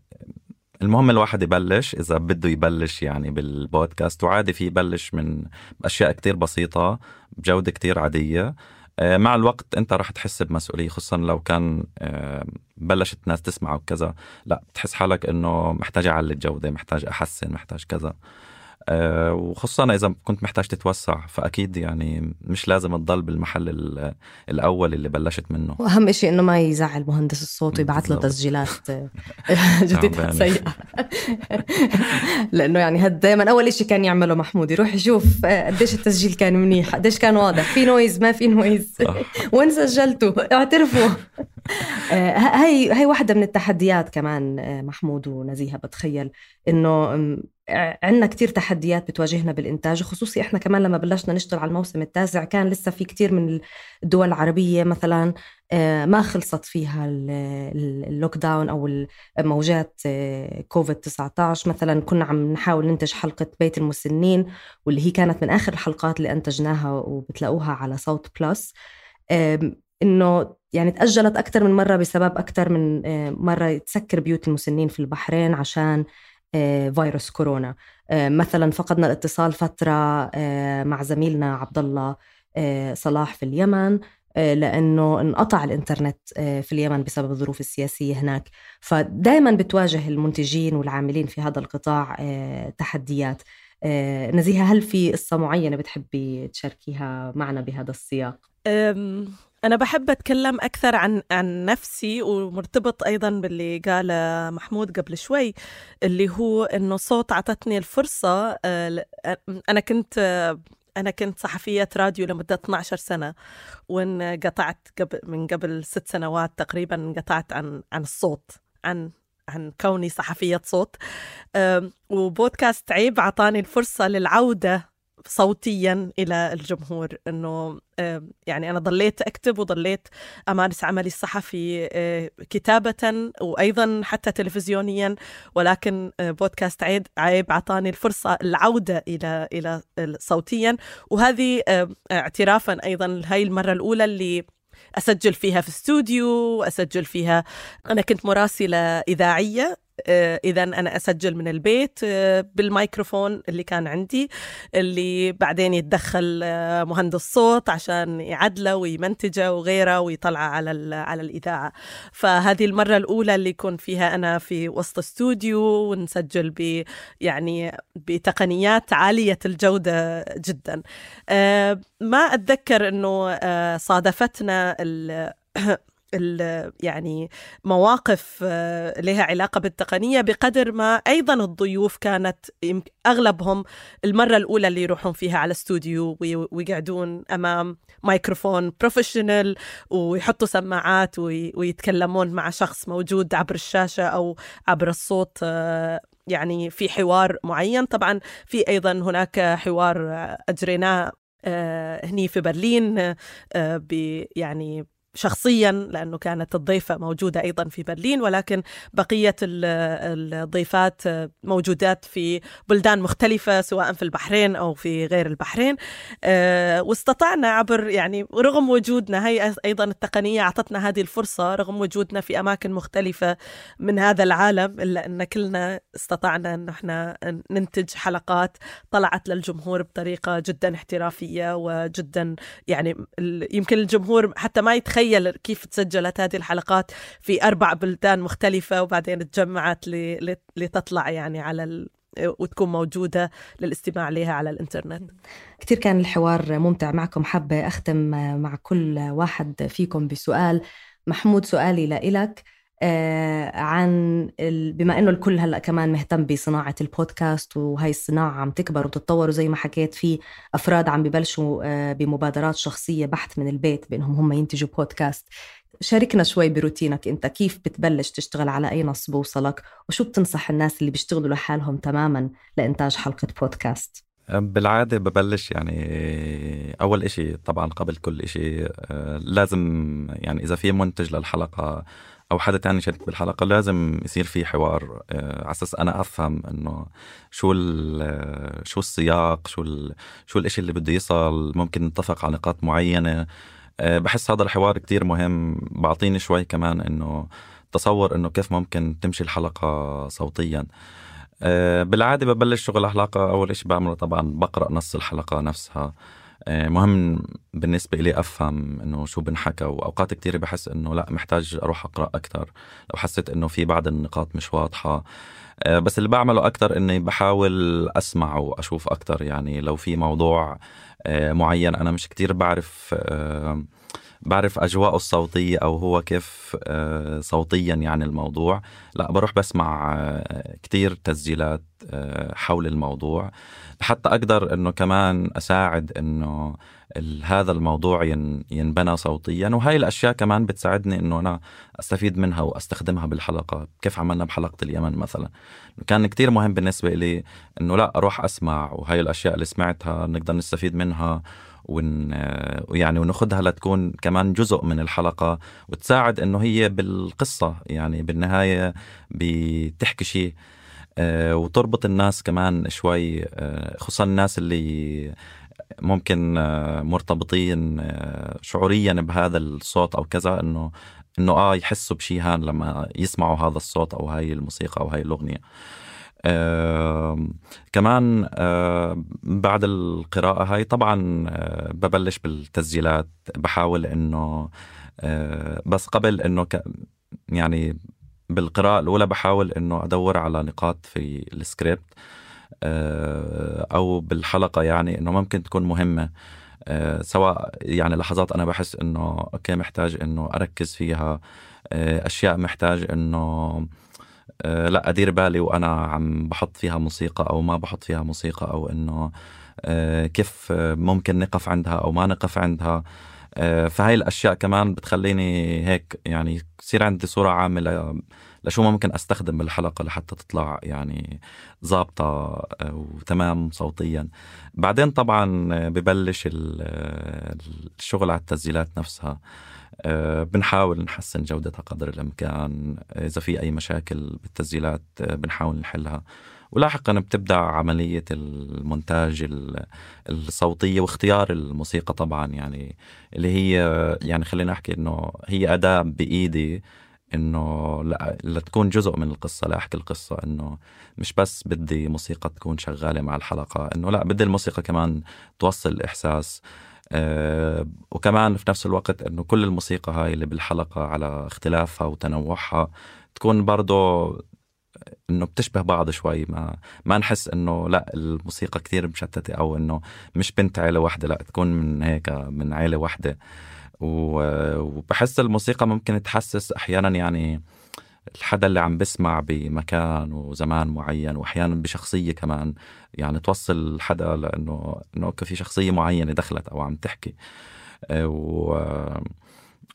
المهم الواحد يبلش إذا بده يبلش يعني بالبودكاست، وعادي في يبلش من أشياء كتير بسيطة بجودة كتير عادية. مع الوقت أنت رح تحس بمسؤولية، خصوصا لو كان بلشت ناس تسمع وكذا، لا تحس حالك إنه محتاج أعلي الجودة، محتاج أحسن، محتاج كذا. وخصوصا إذا كنت محتاج تتوسع، فأكيد يعني مش لازم تضل بالمحل الأول اللي بلشت منه. وأهم إشي إنه ما يزعل مهندس الصوت ويبعث له تسجيلات جديدة سيئة لأنه يعني هاد دايما أول إشي كان يعمله محمود، يروح يشوف قديش التسجيل كان منيح، قديش كان واضح، في نويز ما في نويز، وين سجلته، اعترفوا. هاي هاي واحدة من التحديات كمان محمود ونزيهة. بتخيل إنه عندنا كتير تحديات بتواجهنا بالإنتاج، خصوصي إحنا كمان لما بلشنا نشتغل على الموسم التاسع كان لسه في كتير من الدول العربية مثلا ما خلصت فيها اللوك داون أو الموجات كوفيد تسعة عشر. مثلا كنا عم نحاول ننتج حلقة بيت المسنين، واللي هي كانت من آخر الحلقات اللي أنتجناها وبتلاقوها على صوت بلس، إنه يعني تأجلت أكتر من مرة بسبب أكتر من مرة تسكر بيوت المسنين في البحرين عشان فيروس كورونا. مثلا فقدنا الاتصال فترة مع زميلنا عبد الله صلاح في اليمن لأنه انقطع الإنترنت في اليمن بسبب الظروف السياسية هناك. فدايما بتواجه المنتجين والعاملين في هذا القطاع تحديات. نزيهة، هل في قصة معينة بتحبي تشاركيها معنا بهذا السياق؟ أنا بحب أتكلم أكثر عن عن نفسي، ومرتبط أيضاً باللي قال محمود قبل شوي، اللي هو إنه صوت عطتني الفرصة. أنا كنت أنا كنت صحفية راديو لمدة اثنتي عشرة سنة، وانقطعت قبل من قبل ست سنوات تقريباً انقطعت عن عن الصوت، عن عن كوني صحفية صوت. وبودكاست عيب عطاني الفرصة للعودة صوتيا إلى الجمهور، إنه يعني أنا ضليت أكتب وضليت أمارس عملي الصحفي كتابة وأيضا حتى تلفزيونيا، ولكن بودكاست عيب عيب عطاني الفرصة العودة إلى إلى صوتيا. وهذه اعترافا أيضا هاي المرة الأولى اللي أسجل فيها في استوديو، أسجل فيها أنا كنت مراسلة إذاعية، إذا أنا أسجل من البيت بالميكروفون اللي كان عندي، اللي بعدين يتدخل مهندس صوت عشان يعدله ويمنتجه وغيره ويطلع على على الإذاعة. فهذه المرة الأولى اللي يكون فيها أنا في وسط استوديو ونسجل ب يعني بتقنيات عالية الجودة جدا. ما أتذكر إنه صادفتنا ال يعني مواقف لها علاقة بالتقنية بقدر ما أيضا الضيوف كانت أغلبهم المرة الأولى اللي يروحون فيها على استوديو ويقعدون أمام مايكروفون بروفيشنال ويحطوا سماعات ويتكلمون مع شخص موجود عبر الشاشة أو عبر الصوت يعني في حوار معين. طبعا في أيضا هناك حوار أجريناه هني في برلين يعني شخصيا، لأنه كانت الضيفة موجودة أيضا في برلين، ولكن بقية الضيفات موجودات في بلدان مختلفة سواء في البحرين أو في غير البحرين. واستطعنا عبر يعني رغم وجودنا، هي أيضا التقنية أعطتنا هذه الفرصة رغم وجودنا في أماكن مختلفة من هذا العالم، إلا أن كلنا استطعنا أن احنا ننتج حلقات طلعت للجمهور بطريقة جدا احترافية وجدا يعني يمكن الجمهور حتى ما يتخيل كيف تسجلت هذه الحلقات في أربع بلدان مختلفة وبعدين تجمعت لتطلع يعني على ال... وتكون موجودة للاستماع لها على الإنترنت. كتير كان الحوار ممتع معكم. حابة أختم مع كل واحد فيكم بسؤال. محمود، سؤالي لإلك آه عن ال... بما أنه الكل هلأ كمان مهتم بصناعة البودكاست، وهي الصناعة عم تكبر وتتطور، وزي ما حكيت في أفراد عم ببلشوا آه بمبادرات شخصية بحث من البيت بأنهم هم ينتجوا بودكاست. شاركنا شوي بروتينك أنت، كيف بتبلش تشتغل، على أي نص بوصلك، وشو بتنصح الناس اللي بيشتغلوا لحالهم تماماً لإنتاج حلقة بودكاست؟ بالعادة ببلش يعني أول إشي طبعاً قبل كل إشي آه لازم يعني إذا في منتج للحلقة أو حدا تاني شارك بالحلقة لازم يصير في حوار آه على أساس أنا أفهم إنه شو شو السياق، شو شو الإشي اللي بده يصل، ممكن نتفق على نقاط معينة. أه بحس هذا الحوار كتير مهم. بعطيني شوي كمان إنه تصور إنه كيف ممكن تمشي الحلقة صوتيا. أه بالعادة ببلش شغل الحلقة أول إشي بعمله طبعا بقرأ نص الحلقة نفسها. أه مهم بالنسبة إلي أفهم إنه شو بنحكى، وأوقات كتير بحس إنه لا محتاج أروح أقرأ أكتر لو حسيت إنه في بعض النقاط مش واضحة. أه بس اللي بعمله أكتر إني بحاول أسمع وأشوف أكتر. يعني لو في موضوع أه معين أنا مش كتير بعرف أه بعرف أجواءه الصوتية أو هو كيف أه صوتيا يعني الموضوع، لا بروح بسمع أه كتير تسجيلات أه حول الموضوع حتى أقدر إنه كمان أساعد إنه هذا الموضوع ينبنى صوتيا. وهاي الأشياء كمان بتساعدني إنه أنا أستفيد منها وأستخدمها بالحلقة. كيف عملنا بحلقة اليمن مثلا، كان كتير مهم بالنسبة لي إنه لا أروح أسمع، وهاي الأشياء اللي سمعتها نقدر نستفيد منها ون يعني وناخدها لتكون كمان جزء من الحلقة وتساعد إنه هي بالقصة يعني بالنهاية بتحكي شيء وتربط الناس كمان شوي، خصوصا الناس اللي ممكن مرتبطين شعوريا بهذا الصوت أو كذا، إنه إنه آه يحسوا بشي هان لما يسمعوا هذا الصوت أو هاي الموسيقى أو هاي الأغنية. آه كمان آه بعد القراءة هاي طبعا آه ببلش بالتسجيلات. بحاول إنه آه بس قبل إنه ك يعني بالقراءة الأولى بحاول إنه أدور على نقاط في السكريبت آه أو بالحلقة يعني إنه ممكن تكون مهمة، آه سواء يعني لحظات أنا بحس إنه أوكي محتاج إنه أركز فيها، آه أشياء محتاج إنه أه لا أدير بالي وأنا عم بحط فيها موسيقى أو ما بحط فيها موسيقى، أو إنه أه كيف ممكن نقف عندها أو ما نقف عندها. أه فهاي الأشياء كمان بتخليني هيك يعني يصير عندي صورة عامة لشو ممكن أستخدم بالحلقة لحتى تطلع يعني ضابطة وتمام صوتيا. بعدين طبعا ببلش الشغل على التسجيلات نفسها. أه بنحاول نحسن جودتها قدر الإمكان. إذا في أي مشاكل بالتسجيلات أه بنحاول نحلها، ولاحقا بتبدأ عملية المونتاج الصوتية واختيار الموسيقى طبعا، يعني اللي هي يعني خلينا نحكي إنه هي أداة بإيدي إنه لا, لا تكون جزء من القصة، لا أحكي القصة، إنه مش بس بدي موسيقى تكون شغالة مع الحلقة، إنه لا بدي الموسيقى كمان توصل الإحساس. أه وكمان في نفس الوقت إنه كل الموسيقى هاي اللي بالحلقة على اختلافها وتنوعها تكون برضو إنه بتشبه بعض شوي، ما ما نحس إنه لا الموسيقى كتير مشتتة أو إنه مش بنت عيلة واحدة، لا تكون من هيك من عيلة واحدة. وبحس الموسيقى ممكن تحسس أحيانا يعني الحدا اللي عم بسمع بمكان وزمان معين، وأحيانا بشخصية كمان يعني توصل الحدا لأنه إنه في شخصية معينة دخلت أو عم تحكي.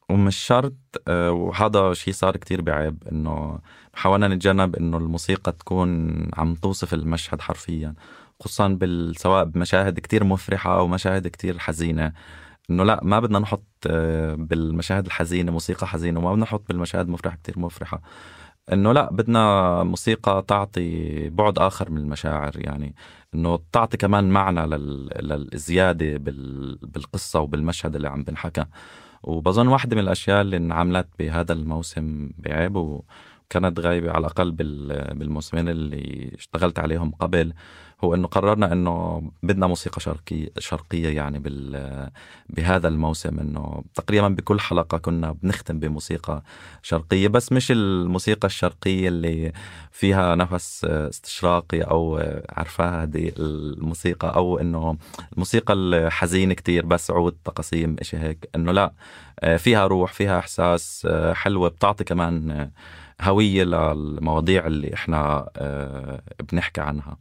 ومش شرط، وهذا شيء صار كتير بعيب، إنه حاولنا نتجنب إنه الموسيقى تكون عم توصف المشهد حرفيا، خصوصا بالسواء بمشاهد كتير مفرحة أو مشاهد كتير حزينة. إنه لا، ما بدنا نحط بالمشاهد الحزينة موسيقى حزينة، وما بدنا نحط بالمشاهد مفرحة كتير مفرحة. إنه لا، بدنا موسيقى تعطي بعد آخر من المشاعر، يعني إنه تعطي كمان معنى لل... للزيادة بال... بالقصة وبالمشهد اللي عم بنحكى. وبظن واحدة من الأشياء اللي انعملت بهذا الموسم بعيب وكانت غايبة على الأقل بال... بالموسمين اللي اشتغلت عليهم قبل، هو إنه قررنا إنه بدنا موسيقى شرقية شرقية يعني بال... بهذا الموسم. إنه تقريبا بكل حلقة كنا بنختم بموسيقى شرقية، بس مش الموسيقى الشرقية اللي فيها نفس استشراقي أو عرفها هذه الموسيقى، أو إنه الموسيقى الحزينة كتير بس عود تقاسيم إشي هيك. إنه لا، فيها روح، فيها إحساس حلوة، بتعطي كمان هوية للمواضيع اللي إحنا بنحكي عنها.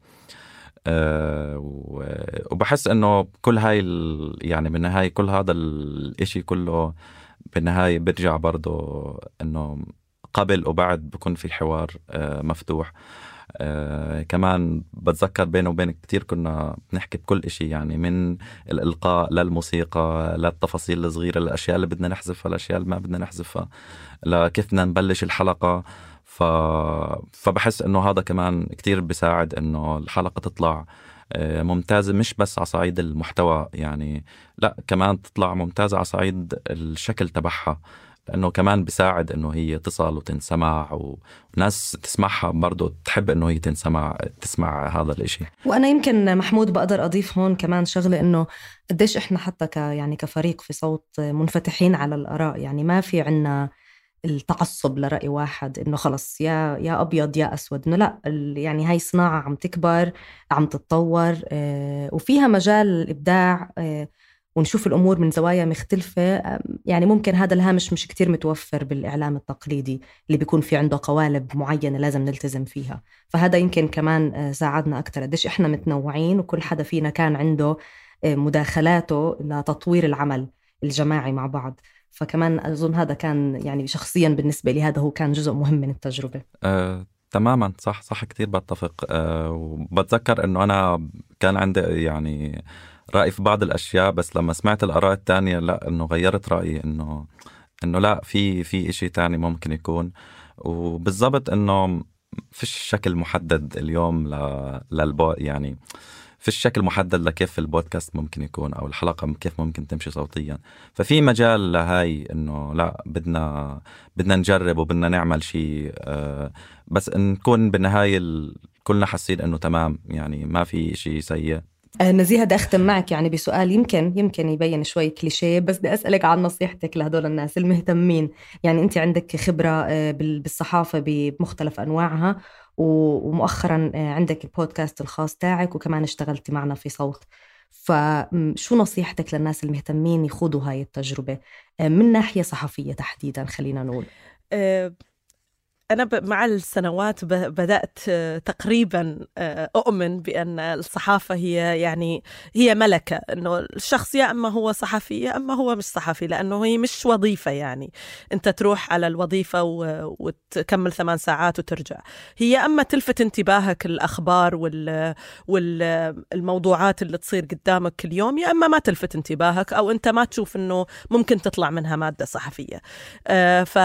أه وبحس انه كل هاي يعني بالنهاية كل هذا الاشي كله بالنهاية برجع برضو انه قبل وبعد بكون في حوار أه مفتوح. أه كمان بتذكر بينه وبينك كتير كنا بنحكي بكل اشي، يعني من الإلقاء للموسيقى للتفاصيل الصغيرة، الأشياء اللي بدنا نحذفها، الأشياء اللي ما بدنا نحذفها، لكيف بدنا نبلش الحلقة. ف... فبحس إنه هذا كمان كتير بيساعد إنه الحلقة تطلع ممتازة، مش بس على صعيد المحتوى يعني، لا كمان تطلع ممتازة على صعيد الشكل تبعها، لأنه كمان بيساعد إنه هي تصل وتنسمع، وناس تسمعها برضو تحب إنه هي تنسمع تسمع هذا الإشي. وأنا يمكن محمود بقدر أضيف هون كمان شغلة، إنه قديش إحنا حتى ك يعني كفريق في صوت منفتحين على الآراء، يعني ما في عنا التعصب لرأي واحد إنه خلص يا يا أبيض يا أسود، إنه لا، يعني هاي صناعة عم تكبر، عم تتطور، آه وفيها مجال الإبداع، آه ونشوف الأمور من زوايا مختلفة. آه يعني ممكن هذا الهامش مش كتير متوفر بالإعلام التقليدي اللي بيكون في عنده قوالب معينة لازم نلتزم فيها. فهذا يمكن كمان آه ساعدنا أكتر، قديش إحنا متنوعين وكل حدا فينا كان عنده آه مداخلاته لتطوير العمل الجماعي مع بعض. فكمان أظن هذا كان يعني شخصيا بالنسبة لي هذا هو كان جزء مهم من التجربة. أه، تماما صح صح كتير بتفق. أه، وبتذكر أنه أنا كان عندي يعني رأي في بعض الأشياء، بس لما سمعت الآراء التانية لا، أنه غيرت رأيي، أنه أنه لا، في في إشي تاني ممكن يكون. وبالضبط أنه فيش شكل محدد اليوم للبو يعني في الشكل محدد لكيف البودكاست ممكن يكون أو الحلقة كيف ممكن تمشي صوتيا. ففي مجال لهاي إنه لا، بدنا بدنا نجرب وبدنا نعمل شيء، آه بس نكون بالنهاية كلنا حاسين إنه تمام، يعني ما في شيء سيء. نزيهة بدي أختم معك يعني بسؤال يمكن يمكن يبين شوي كليشيه، بس بدي أسألك عن نصيحتك لهدول الناس المهتمين. يعني أنت عندك خبرة بالصحافة بمختلف أنواعها، ومؤخرا عندك البودكاست الخاص تاعك، وكمان اشتغلت معنا في صوت. فشو نصيحتك للناس المهتمين يخوضوا هاي التجربة من ناحية صحفية تحديدا؟ خلينا نقول أه أنا مع السنوات بدأت تقريبا أؤمن بأن الصحافة هي يعني هي ملكة، إنه الشخص يا أما هو صحفي يا أما هو مش صحفي، لأنه هي مش وظيفة. يعني أنت تروح على الوظيفة وتكمل ثمان ساعات وترجع، هي أما تلفت انتباهك الأخبار والموضوعات اللي تصير قدامك كل يوم، يا أما ما تلفت انتباهك أو أنت ما تشوف إنه ممكن تطلع منها مادة صحفية. ف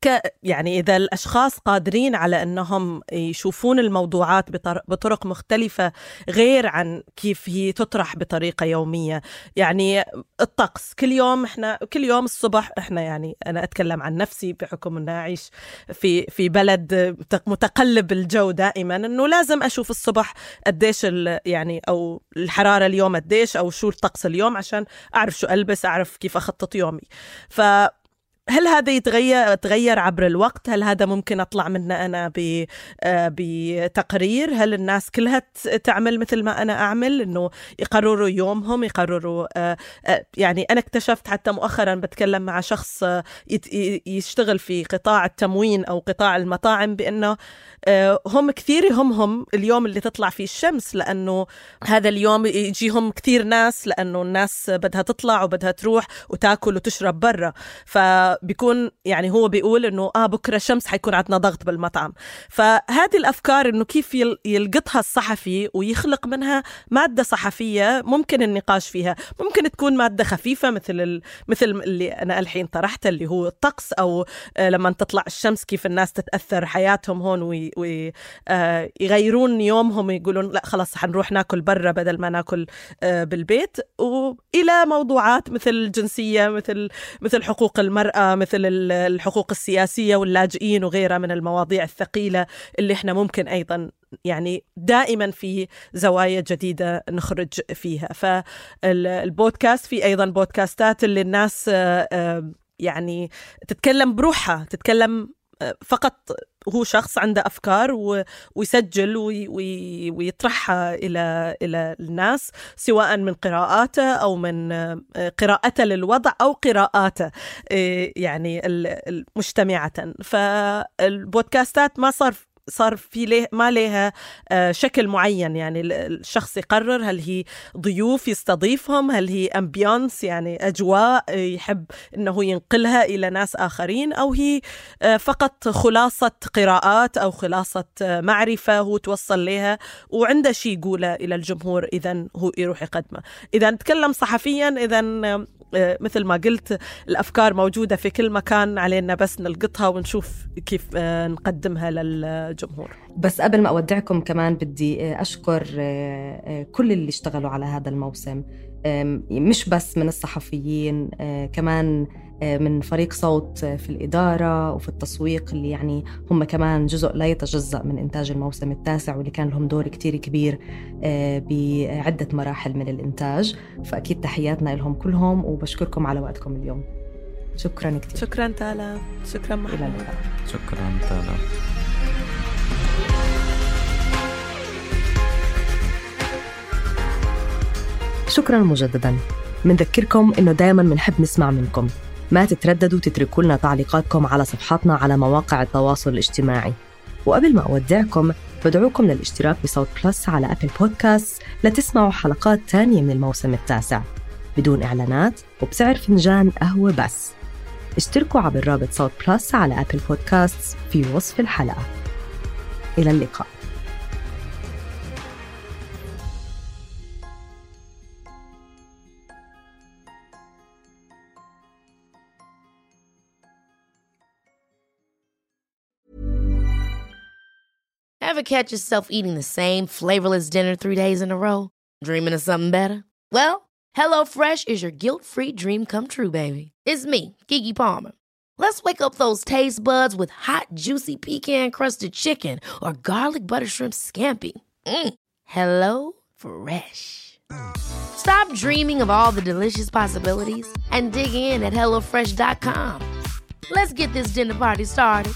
ك يعني إذا الأشخاص قادرين على أنهم يشوفون الموضوعات بطرق مختلفة غير عن كيف هي تطرح بطريقة يومية، يعني الطقس كل يوم، إحنا كل يوم الصبح إحنا يعني أنا أتكلم عن نفسي بحكم أن أعيش في في بلد متقلب الجو دائما، أنه لازم أشوف الصبح قديش يعني أو الحرارة اليوم قديش أو شو الطقس اليوم عشان أعرف شو ألبس، أعرف كيف أخطط يومي. ف هل هذا يتغير تغير عبر الوقت؟ هل هذا ممكن أطلع منه أنا بتقرير؟ هل الناس كلها تعمل مثل ما أنا أعمل، إنه يقرروا يومهم، يقرروا يعني أنا اكتشفت حتى مؤخرا بتكلم مع شخص يشتغل في قطاع التموين أو قطاع المطاعم بأنه هم كثير يهمهم اليوم اللي تطلع فيه الشمس، لأنه هذا اليوم يجيهم كثير ناس، لأنه الناس بدها تطلع وبدها تروح وتاكل وتشرب برا، فبيكون يعني هو بيقول إنه آه بكرة شمس حيكون عندنا ضغط بالمطعم. فهذه الأفكار إنه كيف يلقطها الصحفي ويخلق منها مادة صحفية ممكن النقاش فيها. ممكن تكون مادة خفيفة مثل ال... مثل اللي أنا الحين طرحته اللي هو الطقس، أو لما تطلع الشمس كيف الناس تتأثر حياتهم هون وي... ويغيرون يومهم ويقولون لا خلاص حنروح ناكل برا بدل ما ناكل بالبيت، وإلى موضوعات مثل الجنسية، مثل مثل حقوق المرأة، مثل الحقوق السياسية واللاجئين وغيرها من المواضيع الثقيلة اللي احنا ممكن أيضا يعني دائما في زوايا جديدة نخرج فيها. فالبودكاست في أيضا بودكاستات اللي الناس يعني تتكلم بروحها، تتكلم فقط هو شخص عنده أفكار ويسجل ويطرحها إلى إلى الناس، سواء من قراءاته أو من قراءته للوضع أو قراءاته يعني مجتمعة. فالبودكاستات ما صار صار في له ما لها شكل معين، يعني الشخص يقرر هل هي ضيوف يستضيفهم، هل هي أمبيانس يعني أجواء يحب إنه ينقلها إلى ناس آخرين، أو هي فقط خلاصة قراءات أو خلاصة معرفة هو توصل لها وعنده شيء يقوله إلى الجمهور إذن هو يروح يقدمه. إذا نتكلم صحفيا، إذن مثل ما قلت الأفكار موجودة في كل مكان، علينا بس نلقطها ونشوف كيف نقدمها للجمهور. بس قبل ما أودعكم كمان بدي أشكر كل اللي اشتغلوا على هذا الموسم، مش بس من الصحفيين، كمان من فريق صوت في الإدارة وفي التسويق اللي يعني هم كمان جزء لا يتجزأ من إنتاج الموسم التاسع، واللي كان لهم دور كتير كبير بعدة مراحل من الإنتاج. فأكيد تحياتنا لهم كلهم، وبشكركم على وقتكم اليوم. شكرا كتير. شكرا تالا. شكرا محمد. شكرا تالا. شكرا مجددا. منذكركم إنه دائما منحب نسمع منكم، ما تترددوا تتركوا لنا تعليقاتكم على صفحاتنا على مواقع التواصل الاجتماعي. وقبل ما أودعكم بدعوكم للاشتراك بصوت بلس على أبل بودكاست لتسمعوا حلقات تانية من الموسم التاسع بدون إعلانات وبسعر فنجان قهوة بس. اشتركوا عبر رابط صوت بلس على أبل بودكاست في وصف الحلقة. إلى اللقاء. Ever catch yourself eating the same flavorless dinner three days in a row? Dreaming of something better? Well, HelloFresh is your guilt-free dream come true, baby. It's me, Keke Palmer. Let's wake up those taste buds with hot, juicy pecan-crusted chicken or garlic butter shrimp scampi. Mm. Hello Fresh. Stop dreaming of all the delicious possibilities and dig in at hello fresh dot com. Let's get this dinner party started.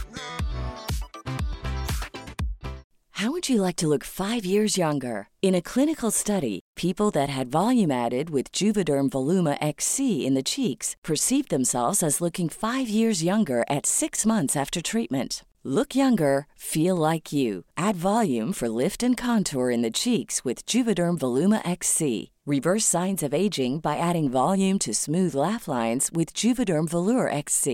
How would you like to look five years younger? In a clinical study, people that had volume added with Juvederm Voluma X C in the cheeks perceived themselves as looking five years younger at six months after treatment. Look younger, feel like you. Add volume for lift and contour in the cheeks with Juvederm Voluma X C. Reverse signs of aging by adding volume to smooth laugh lines with Juvederm Volure X C.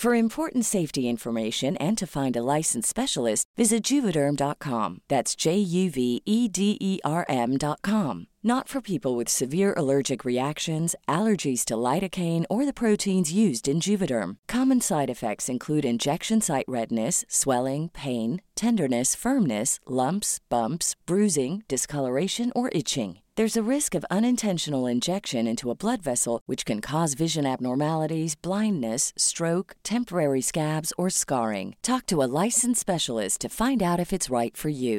For important safety information and to find a licensed specialist, visit Juvederm dot com. That's J U V E D E R M dot com. Not for people with severe allergic reactions, allergies to lidocaine, or the proteins used in Juvederm. Common side effects include injection site redness, swelling, pain, tenderness, firmness, lumps, bumps, bruising, discoloration, or itching. There's a risk of unintentional injection into a blood vessel, which can cause vision abnormalities, blindness, stroke, temporary scabs, or scarring. Talk to a licensed specialist to find out if it's right for you.